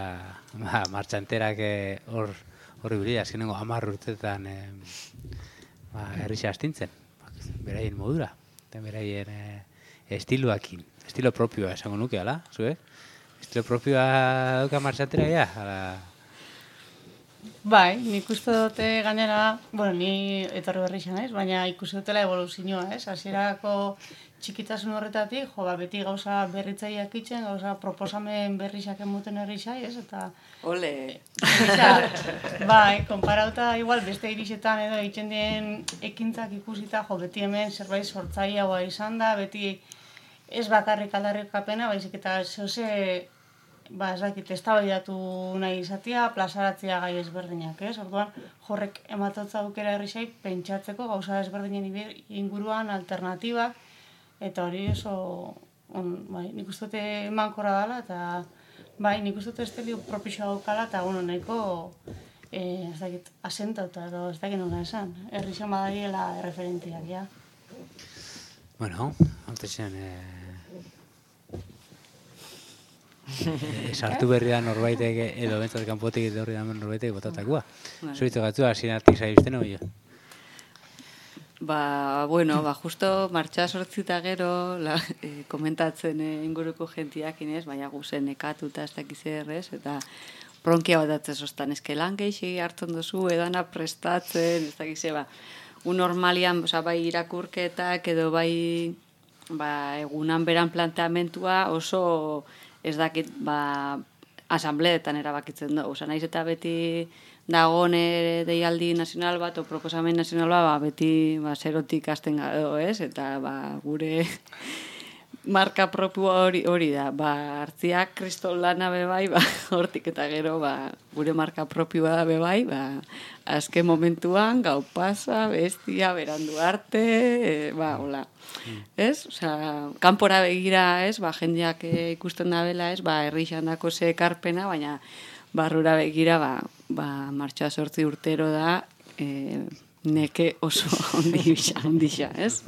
martxanterak horri bili, azkenengo 10 urtetan herrixa astintzen, beraien modura, eta beraien estiloakin, estilo propioa esango nuke, ala, zue? Estilo propioa dauka martxantera, ala... Bai, nik uste dute gainera, bueno, ni etorri berri izan naiz, baina ikusi dutela evoluzioa, ez? Hasierako txikitasun horretatik, beti gauza berritzaileak itzen, gauza proposamen berrizak emuten herri zai, ez? Eta Ole! bai, konparauta igual beste irisetan edo egiten dien ekintzak ikusita, beti hemen zerbait sortzaileagoa izan da, beti ez bakarrik aldarrikapena, baizik eta zoze ez dakit, eztabaidatu nahi izatea, plazaratzea gai ezberdinak, ez? Orduan, horrek ematotza aukera herri pentsatzeko gauza ezberdinen inguruan alternatibak, eta hori oso, nik uste dute emankorra dela, eta nik uste dute estelio propizioa daukala, eta nahiko, ez dakit, asentauta, edo ez dakit nola esan, herri badariela referentiak, ja. Bueno, antezen, sartu berri da norbaitek edo bentsat kanpotik edo horri da norbaitek botatakua. Zuritzu gatzu, hasienatik zaizten hori. Justo martxa sortzita gero komentatzen inguruko jentiak inez, baina guzen nekatuta ez dakiz errez, eta bronkia bat atzen sostan, eske lan geixi hartzen duzu, edana prestatzen, ez dakiz normalian, bai irakurketak edo bai egunan beran planteamentua oso ez dakit, asambleetan erabakitzen da. Naiz eta beti dagoen deialdi nazional bat, o proposamen nazional bat, beti zerotik hasten gado, ez? Eta gure marka propioa hori da. Hartziak kriston lana bebai, hortik eta gero gure marka propioa da bebai, azken momentuan, gau pasa, bestia, berandu arte, hola. Ez? Kanpora begira, ez? Jendeak ikusten da bela, ez? Herrixan dako ze ekarpena, baina barrura begira, martxa 8 urtero da, neke oso ondisa, ez?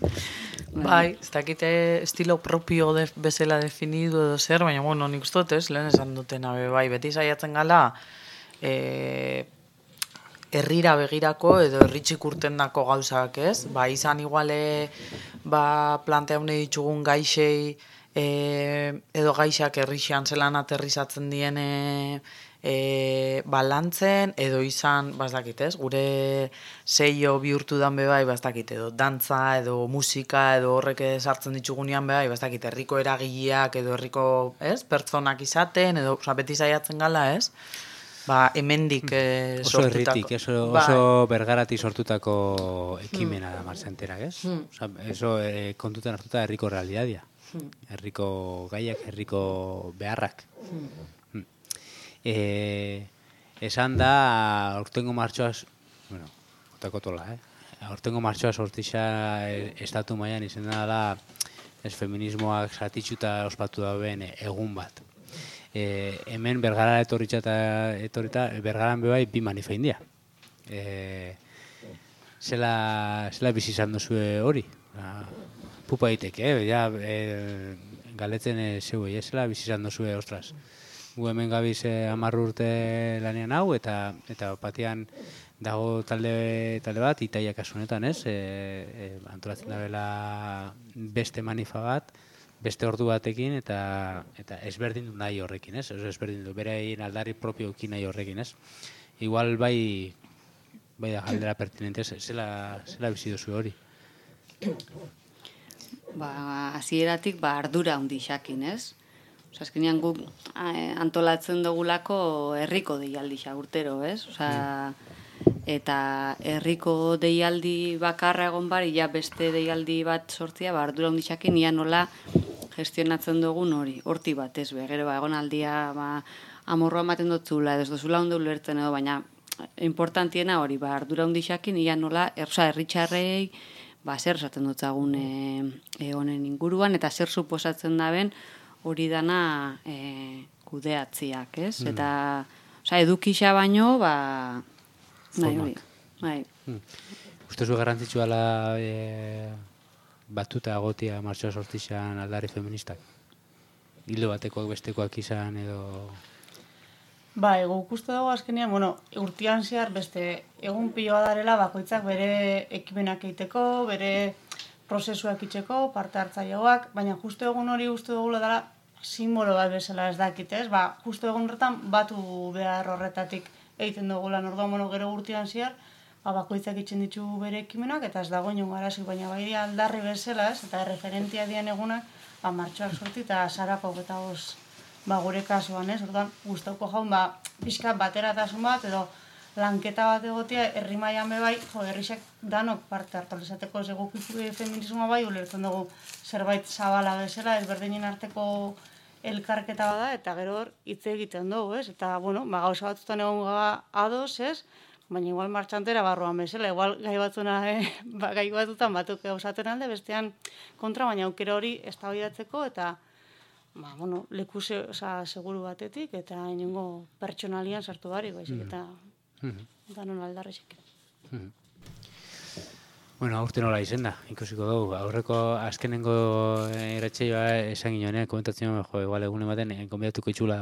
Bai, ez dakite estilo propio bezala definidu edo zer, baina, nik uste dut, ez? Lehen esan dutena, beti saiatzen gala, herrira begirako edo herritxik urtendako gauzak, ez? Izan iguale planteaune ditugun gaixei edo gaixak herrixean zelan aterrizatzen diene lantzen, edo izan, ez dakit, ez? Gure seio bihurtu dan bebai, ez dakit, edo dantza, edo musika, edo horrek sartzen ditugunean bebai, ez dakit, herriko eragileak, edo herriko, ez? Pertsonak izaten, edo, beti saiatzen gala, ez? Hemendik sortutako. Oso herritik, oso bergarati sortutako ekimena da martxanterak, ez? Eso kontutan hartuta herriko realidadia. Herriko gaiak, herriko beharrak. Esan da, aurtengo martxoaz, otako tola, aurtengo martxoa sortixa estatu mailan izena da feminismoak zatitxuta ospatu dauen egun bat. Hemen Bergara etorrita, Bergaran bebai bi manifa india. Zela bizi izan duzue hori? Pupa egiteke, galetzen zeuei, zela bizi izan duzue, ostras. Gu hemen gabiz 10 urte lanean hau, eta batean dago talde bat, Itaia kasunetan, ez? Antolatzen dabela beste manifa bat, beste ordu batekin, eta ezberdin du nahi horrekin, ez? Ezberdin du, berein aldarri propioekin nahi horrekin, ez? Igual bai da galdera pertinente, zela bizi duzu hori? Hasieratik ardura handixakin, ez? Azkenean guk antolatzen dugulako herriko deialdia urtero, ez? Eta herriko deialdi bakarra egon bari, beste deialdi bat sortzia, ardura handixakin, ia nola gestionatzen dugun hori, horti bat, ez be, gero egon aldia amorroa ematen dutzula, edo ez duzula ondo ulertzen edo, baina importantiena hori, ardura handixakin, ia nola, herritxarrei, zer esaten dutzagun honen inguruan, eta zer suposatzen daben hori dana kudeatziak, ez? Eta, edukixa baino, nahi hori, bai. Ustezu garrantzitsua la batuta agotia martxoa sortixan aldarri feministak? Hildo batekoak bestekoak izan edo... Guk uste dago azkenean, urtean zehar beste egun piloa darela bakoitzak bere ekimenak egiteko, bere prozesuak itzeko, parte hartzaileak, baina justu egun hori uste dugula dela simbolo bat bezala ez dakit, ez? Justu egun horretan batu behar horretatik egiten dugu lan. Orduan, gero urtean zehar, bakoitzak itzen ditu bere ekimenak, eta ez dago inongo arazik, baina bai aldarri bezala, ez, eta referentia dian egunak, martxoak sorti, eta sarako eta gure kasuan, ez, orduan, gustauko jaun, pixka bateratasun bat, edo lanketa bat egotea, herri mailan bai, herrixak danok parte hartu izateko ez egokipu feminismoa bai, ulertzen dugu zerbait zabala bezala, ezberdinen arteko elkarketa bada, eta gero hor hitz egiten dugu, ez? Eta, gauza batzutan egon ados, ez? Baina igual martxantera barruan bezala, igual gai batzutan batuk gauzaten alde, bestean kontra, baina aukera hori eztabaidatzeko eta leku seguru batetik, eta inongo pertsonalian sartu barik, baizik, eta danon aldarrexek. Aurten nola izen da, ikusiko dugu. Aurreko azkenengo irratsaioa esan ginoen, komentatzen igual egun ematen, konbidatuko itxula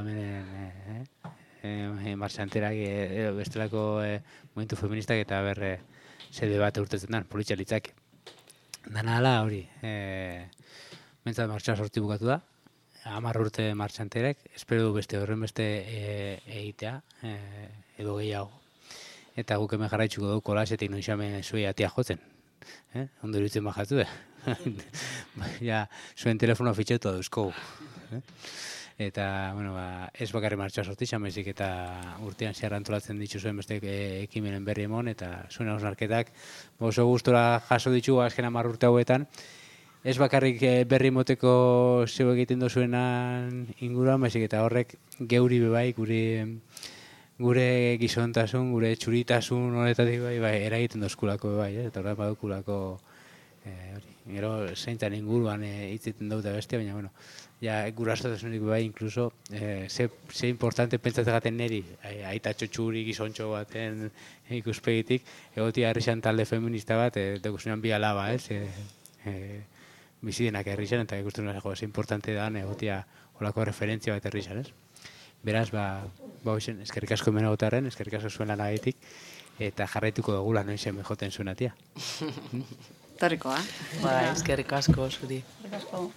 marxanterak bestelako momentu feministak eta zede bat urtetzen den, politxalitzak. Dana ala hori, mentzat martxoa sorti bukatu da, 10 urte marxanterek, espero du horren beste egitea, edo gehiago. Eta guk hemen jarraitzuko dugu kolasetik noixame zuei atia jotzen. Ondo iruditzen bajatu da. Zuen telefonoa fitxetu dauzkogu. Eta, ez bakarri martxoa sortizan, baizik eta urtean zehar antolatzen ditu zuen beste ekimenen berri emon, eta zuen hausnarketak oso gustora jaso ditugu azken 10 urte hauetan. Ez bakarrik berri moteko zeu egiten dozuenan inguruan, baizik eta horrek geuri bebai, gure gizontasun, gure txuritasun horretatik eragiten dozkulako bai, eta horrean badukulako gero zeintan inguruan hitziten dut bestia, baina, gurasotasunik bai, inkluso, ze importante pentsatzen gaten neri, aita txotxuri gizontxo baten ikuspegitik, egotia herrixan talde feminista bat, dekusunean bi alaba, bizidenak herrixan, eta ikusten ze importante da, egotia holako referentzia bat herrixan, ez? Beraz, eskerrik asko hemen egotarren, eskerrik asko zuen lanagatik, eta jarraituko dugu lan noizen joten zuen atia. Torrikoa. Eskerrik asko zuri. Eskerrik asko.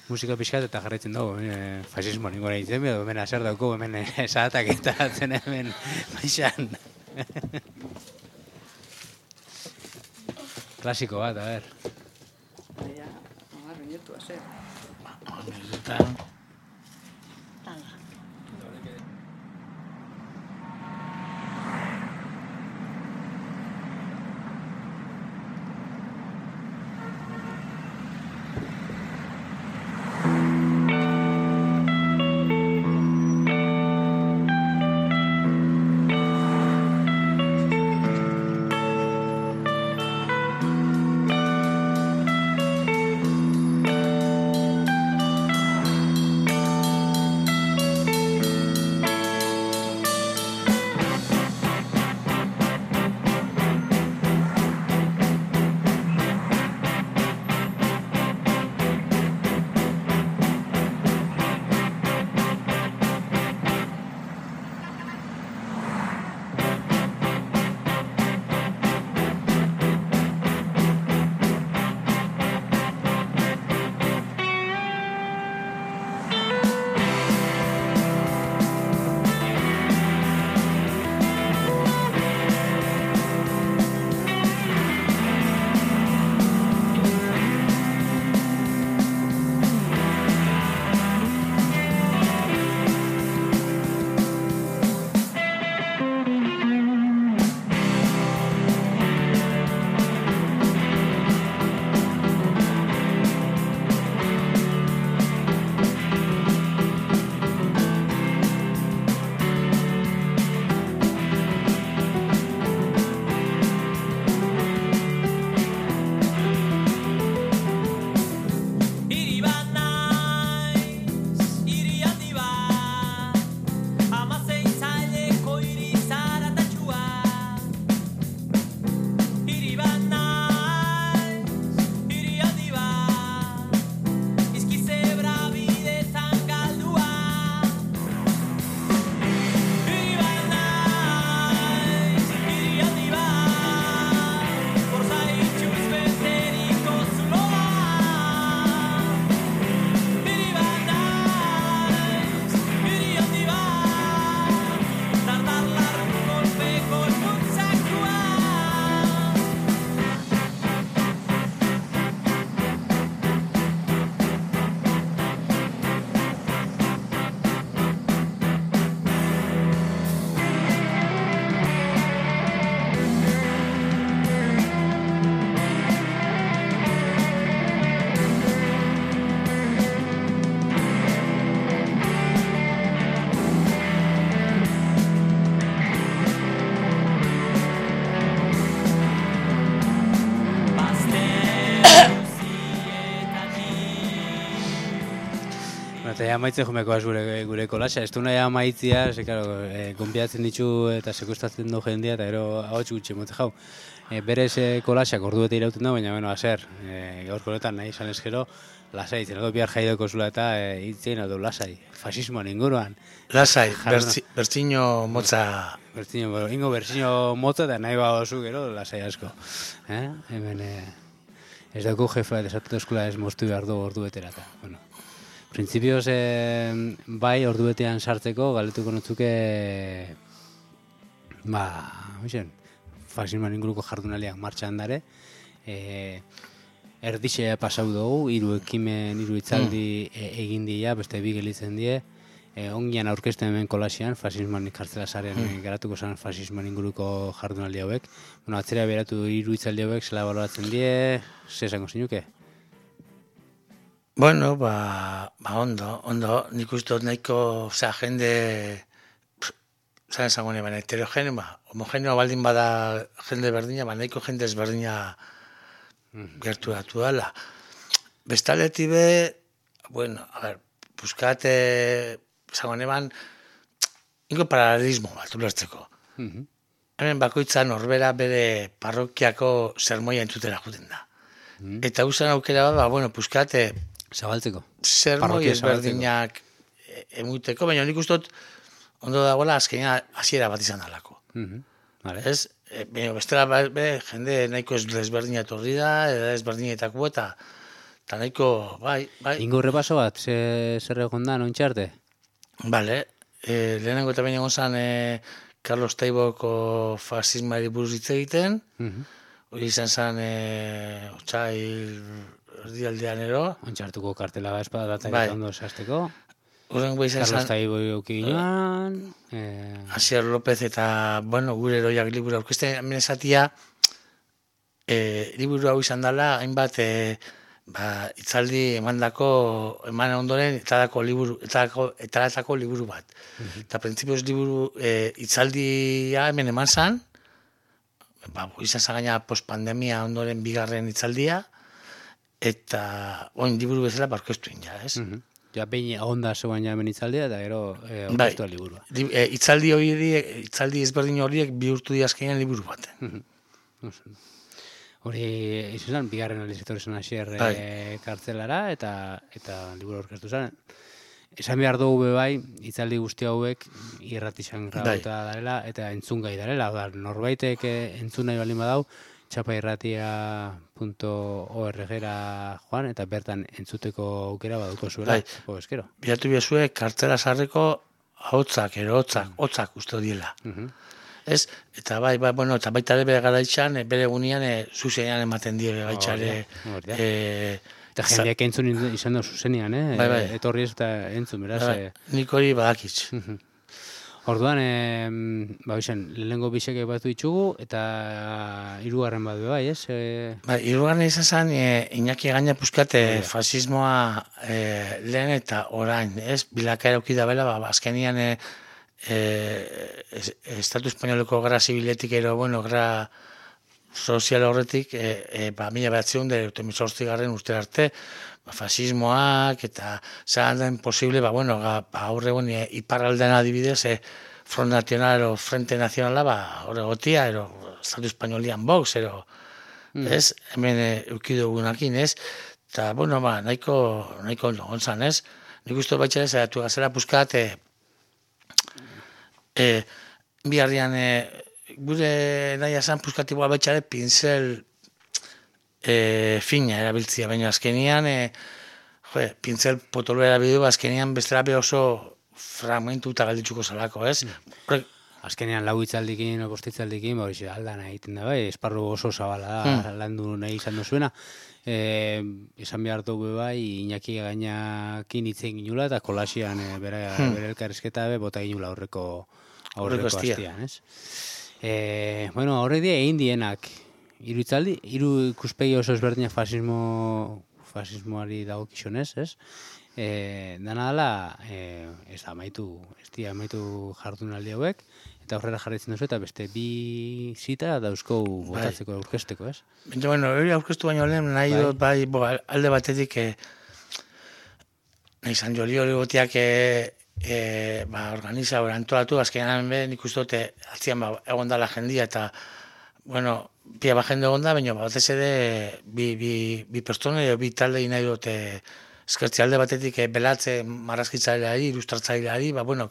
Musika pixkat eta jarraitzen dugu, fasismo ningora ditzen, edo hemen azer dauko, hemen esatak eta atzen hemen baixan. Klasiko bat, a ber. Minutu, azer. Eta ja amaitzen jomekoaz gure kolasa, ez du nahi amaitzia, ze, claro, gonbiatzen ditu eta sekustratzen du jendia, eta gero ahots gutxi mote jau. Berez kolasak ordu bete irauten da, baina, bueno, azer, gaurko honetan nahi izan ezkero, lasai, zenako bihar jaidoko zula eta hitzien edo lasai, fasismoan inguruan. Lasai, bertziño motza... Ingo bertziño motza eta nahi badozu gero, lasai asko. Hemen ez dauku jefa, desatutu eskula ez moztu behar du ordu betera eta, bueno. Printzipioz, bai, ordu betean sartzeko, galetuko notzuke, fasismoan inguruko jardunaliak martxan dare, erdixea pasau dugu, hiru ekimen, hiru hitzaldi egin dira, beste bi gelitzen die, ongian aurkezten hemen kolasian, fasismoan kartzela zaren garatuko zen fasismoan inguruko jardunaldi hauek. Bueno, atzera beratu hiru hitzaldi hauek, zela baloratzen die, ze esango zinuke? Bueno, ondo, nik uste dut nahiko, jende, zaren zango baina heterogeneo, homogeneo baldin bada jende berdina, nahiko jende ezberdina gerturatu dela. Bestaleti be, bueno, a ver, buscate, zango neban, ingo paralelismo bat, ulertzeko. Hemen bakoitza norbera bere parrokiako sermoia entzutera juten da. Eta usan aukera bat, bueno, buscate, zabaltzeko. Sermoi ezberdinak emuteko, baina nik uste dut ondo dagoela azkenean hasiera bat izan dalako. Ez? Bestela jende nahiko ezberdina etorri da, ezberdinetako eta nahiko, bai. Ingo repaso bat, zer egon da, nontxarte? Bale, lehenengo eta baina gonzan Carlos Taiboko fasismari buruz hitz egiten, hori izan zen otxail erdialdean ero. Ontxartuko kartela espada data ondo esazteko. Horrengo izan zen... Carlos Taibo euki ginoan. Asier López eta, bueno, gure eroiak liburu aurkezten, hemen esatia, liburu hau izan dela, hainbat itzaldi eman ondoren etaratako liburu bat. Eta printzipioz liburu itzaldia hemen eman zan, izan zen gaina postpandemia ondoren bigarren itzaldia, eta oin liburu bezala barkeztu ja, ez? Ja, behin onda zegoen ja hemen itzaldia, eta gero orkestu liburua. Itzaldi ezberdin horiek bihurtu diazkenean liburu baten. Hori, izan zen, bigarren alizetor izan asier kartzelara, eta liburu orkestu zen. Esan behar dugu bai, itzaldi guzti hauek irratixan grabauta darela, eta entzungai darela. Norbaitek entzun nahi balin badau, txapairratia.org-era joan, eta bertan entzuteko aukera baduko zuela. Eskero. Bilatu biazue, kartzela sarreko hotzak uste diela. Ez? Eta bueno, eta baita ere bere garaitxan, bere gunean, zuzenean ematen die gaitxare. Eta jendeak entzun izan da zuzenean, etorri ez eta entzun, beraz. Nik hori badakitz. Orduan, lehenengo bisek batu ditugu, eta hirugarren badu bai, ez? Hirugarren izan zen, Iñaki gaina puzkat fasismoa lehen eta orain, ez? Bilakaera uki da bela, azkenian Estatu Espainoleko gara zibiletik ero, bueno, gara sozial horretik, 1918 urte arte, fasismoak eta zahandaen posible, aurre egon iparraldean adibidez, Front Nacional o Frente Nacionala, horre gotia, Estatu Espainolian Vox, ez? Hemen eukidugunakin, ez? Eta, bueno, nahiko ondo gontzan, ez? Nik uste baitxera zaitu gazera puzkat, biharrian, gure nahi esan puzkatikoa baitxare pincel fina erabiltzia, baina azkenian, pincel potolo erabildu, azkenian bestela oso fragmentu eta galditzuko zalako, ez? Azkenean lau itzaldikin, bostitzaldikin, aldan egiten da, bai, esparru oso zabala da, landu nahi izan duzuena. Esan behar dugu bai, Iñaki gainakin itzen ginula, eta kolasian bere elkarrizketa bota ginula aurreko hastian, ez? Bueno, horrek die egin dienak, hiru itzaldi, hiru ikuspegi oso ezberdina fasismoari dagokizunez, ez? Dana dela, ez amaitu jardunaldi hauek, eta horrela jarraitzen duzu, eta beste bi zita dauzko botatzeko aurkezteko, ez? Bueno, hori aurkeztu baino lehen, nahi dut, alde batetik, nahi San Joli hori gotiak organiza, antolatu, azkenean nik uste dute atzian egon dala jendia eta, bueno, pia jende egon da, baina batez ere bi pertsone edo bi talde nahi dute eskertzi alde batetik belatze marrazkitzaileari, ilustratzaileari, bueno,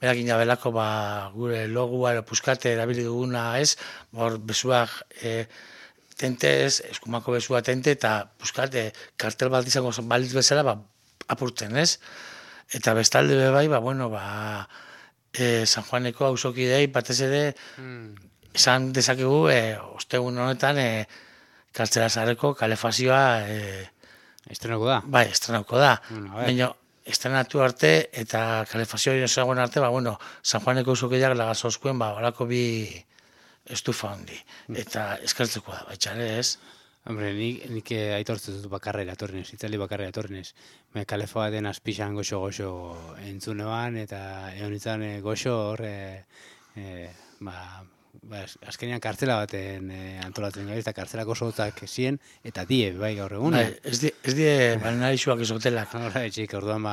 berakin belako gure logua edo puskate erabili duguna ez, hor besuak tentez, eskumako besua tente eta puskate kartel bat izango balitz bezala apurtzen ez. Eta bestalde bai, bueno, San Juaneko auzokidei batez ere esan dezakegu ostegun honetan Kartzela Zaharreko kalefazioa estrenako da. Bai, estrenako da. Baina estrenatu arte eta kalefazioa ezagun arte, bueno, San Juaneko auzokideak lagazozkuen horako bi estufa handi. Eta eskertzeko da, baitxare ez. Hombre, nik aitortzen dut bakarrera etorrinez, itzali bakarrera etorrinez. Kalefoa den azpixan goxo entzunean, eta egon izan goxo hor, azkenean kartzela baten antolatzen gara, eta kartzelako sotzak zien, eta die, bai gaur egun. Ez die, balnarixuak ezotelak. Horra, etxik, orduan,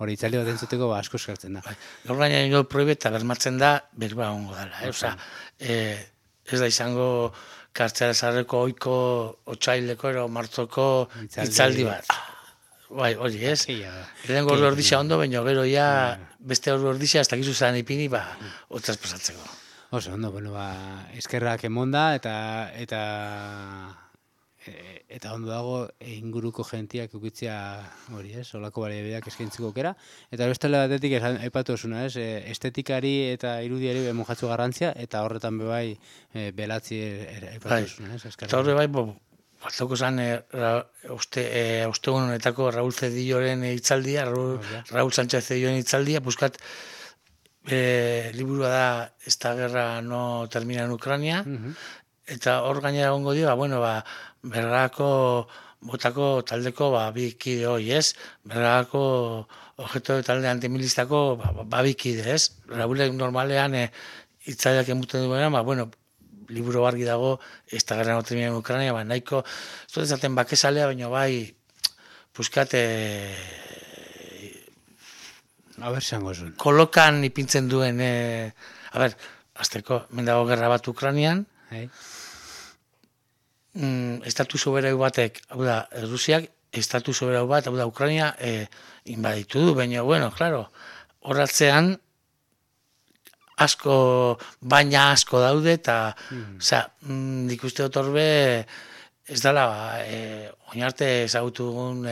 hori itzali bat entzuteko asko eskartzen da. Gaur gaina nio proibeta bermatzen da, berba ongo dela. Osa, ez da izango Kartzela Zaharreko oiko otxaileko ero martzoko itzaldi bat. Bai, hori ez. Lehenko ordu ordizia ondo, baina gero ja beste ordu ordizia ez dakizu zan ipini, otzaz pasatzeko. Oso, ondo, bueno, eskerrak emonda eta ondo dago inguruko gentiak ukitzea hori ez, olako baliabideak eskaintzeko aukera. Eta bestela batetik aipatu osuna ez, estetikari eta irudiari mojatzu garrantzia, eta horretan bebai belatzi aipatu osuna ez. Eta horre bai, batzoko zan ostegun honetako Raúl Cedilloren hitzaldia, Raúl Sánchez Cedilloren hitzaldia, buskat liburua da Esta guerra no termina en Ucrania, eta hor gainera egongo dio, Bergako botako taldeko bi kide hoi, ez? Bergako objeto talde antimilistako bi kide, ez? Raúlek normalean hitzaileak emuten duena, bueno, liburu argi dago, Esta guerra no termina en Ucrania, nahiko, ez dut ezaten bakezalea, baina bai, puskate kolokan ipintzen duen, azteko, mendago gerra bat Ukranian, estatu soberau batek, hau da, Rusiak, estatu soberau bat, hau da, Ukrania inbaditu du, baina, bueno, claro, horratzean, baina asko daude, eta, nik uste dut horbe, ez dala, oinarte ezagutu dugun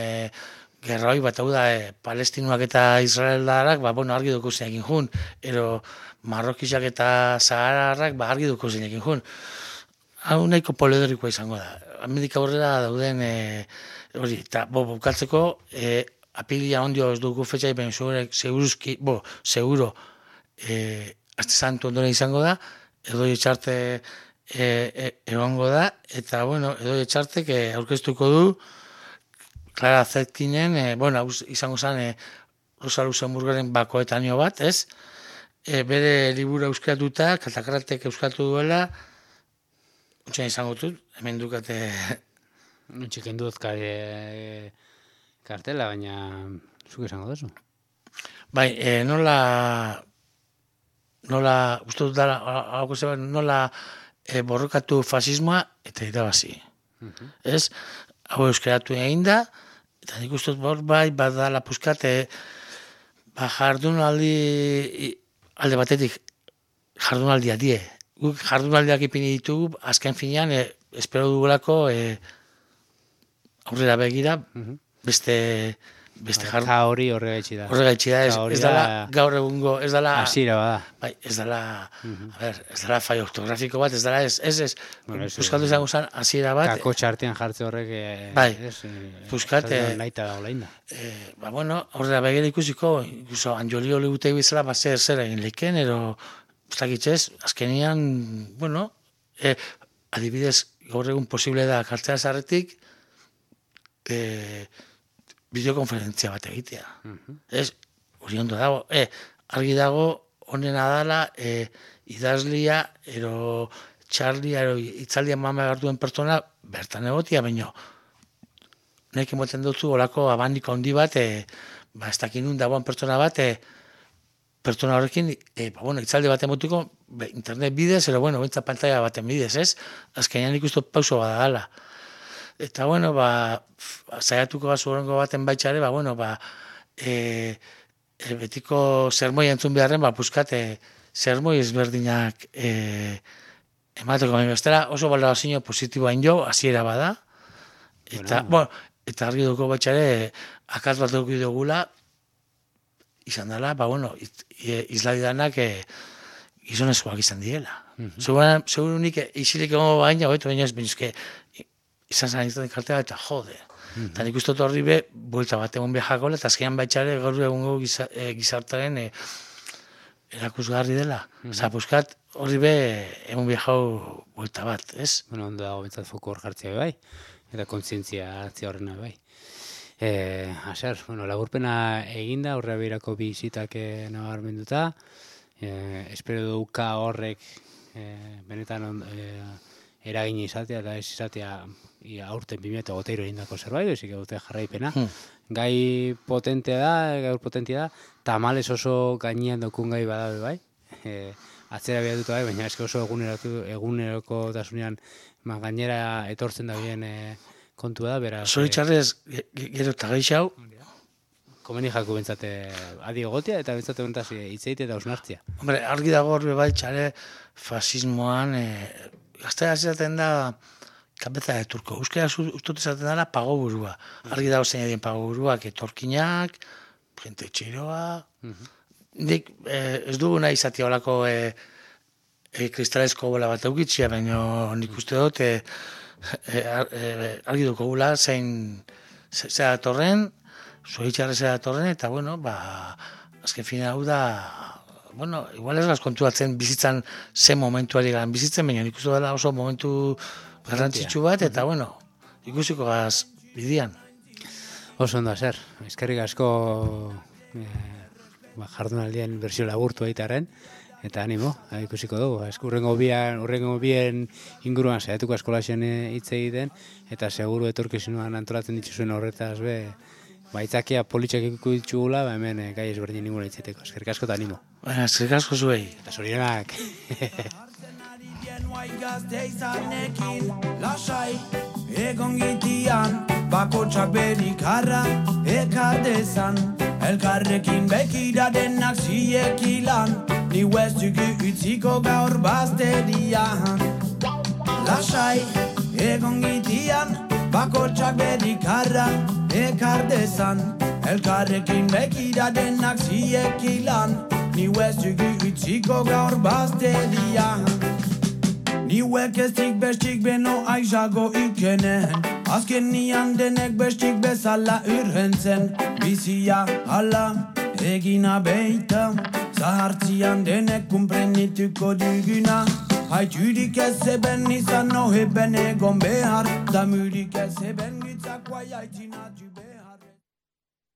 gerra hoi bat, hau da, palestinuak eta israeldarrak, bueno, argi duko zinekin jun, ero marrokisak eta zahararrak, argi duko zinekin jun. Hau nahiko poliedorikoa izango da. Amerika horrela dauden hori, eta bukatzeko apilia ondio ez dugu fetxai, baina seguro Aste Santu ondoren izango da, Edoi Etxarte egongo da, eta bueno, Edoi Etxartek aurkeztuko du Clara Zetkinen, izango zen Rosa Luxemburgaren bakoetanio bat, ez? Bere liburu euskeratuta, Katakratek euskatu duela, Untxen izango dut, hemen dukate... Untxekin dut kartela, baina zuk izango duzu. Bai, nola, uste dut dara, nola borrokatu fasismoa eta irabazi. Ez? Hau euskeratu egin da, eta nik uste dut badala puskate, jardunaldi, alde batetik, jardunaldia die. Guk jardunaldiak ipini ditugu, azken finean, espero dugulako aurrera begira, beste jardun. Ka hori horregaitxi da. Horregaitxi da, ez dala gaur egungo, ez dala... Asira bada. Bai, ez dala, ez dala fai ortografiko bat, ez dala, ez, puskatu izango zen, asira bat... Kako txartean jartze horrek... Bai, puskat... Naita da olain da. Bueno, horrela begira ikusiko, ikuso, Anjoli hori gutei bizala, zer egin leken, ero... Uztakitzez, azkenian, bueno, adibidez, gaur egun posible da Kartzela Zaharretik bideokonferentzia bat egitea. Ez, hori ondo dago, argi dago, honena dala, idazlia, ero txarlia, ero itzaldia mama gartuen pertsona, bertan egotia, baino, nahi emoten dutzu, olako abandiko handi bat, ez dakin nun dagoen pertsona bat, pertsona horrekin, itzalde bat emotiko, internet bidez, bentsa pantalla baten bidez, ez? Azkenean ikustu pauso bada gala. Eta, zaiatuko gazu horrengo baten baitxare, betiko zermoi entzun beharren, puskate zermoi ezberdinak emateko, bestela oso balorazio positiboain jo, hasiera bada, eta, eta argi duko baitxare, akaz bat dugu dugula, izan dela, izladidanak gizonezkoak izan direla. Seguro nik isilik egon baina, baina ez, baina izan zan izan kartea, eta jode. Eta nik uste horri be, buelta bat egon behakola, eta azkenean baitxare gaur egungo gizartaren erakusgarri dela. Osa, buskat horri be, egon behau buelta bat, ez? Ondo dago bentsat foko hor jartzea bai, eta kontzientzia hartzea horrena bai. Laburpena eginda, horrea behirako bi isitak nabarmenduta, espero duka horrek benetan eragin izatea, eta ez izatea aurten 2023 egindako zerbait, ezik dute jarraipena. Gai potentea da, gaur potentia da, tamales oso gainean dokun gai badabe bai, atzera behatuta bai, baina eske oso eguneroko tasunean gainera etortzen da bien kontua da, beraz... Zoritxarrez, gero eta geixau. Komeni jaku bentsate adi egotia eta bentsate bentaz hitzeite eta osnartzia. Hombre, argi dago horbe bai txare fasismoan, gaztea zaten da kabeza de turko. Euskera ustut esaten dara pago burua. Argi dago zein edien pago buruak, etorkinak, jente txiroa... Nik ez dugu nahi izatea olako kristalesko bola bat eukitzia, baina nik uste dut argi duko gula zein zera datorren, zoritxarre zera datorren, eta azken fina hau da, igual ez las kontuatzen bizitzan zen momentuari garan bizitzen, baina nik uste dela oso momentu garrantzitsu bat, eta ikusiko gaz bidian. Oso ondo zer, eskerrik asko jardunaldien bersio laburtu egitearen, eta animo, ikusiko dugu. Urrengo bien inguruan saiatuko eskolasen hitz egiten, eta seguru etorkizunan antolatzen dituzuen horretaz baitzakia politxak ikuko ditugula, hemen gai ezberdin ninguna hitzeteko. Eskerrik asko eta animo. Eskerrik asko zuei. Eta zorionak. Egon gitian, bakotxak berikarra ekardezan, elkarrekin bekira denak ziekilan, ni huestuki utziko gaur bazterian. Lasai, egon gitian, bakotxak berikarra ekardezan, elkarrekin bekira denak ziekilan, ni huestuki utziko gaur bazterian. Niuek eztik bestik beno aizago ikenen, azken nian denek bestik bezala urhentzen, bizia hala egina beita, zahartzian denek kumprenituko duguna, haiturik ez eben izan no heben egon behar, damurik ez eben gitzak guai haitzin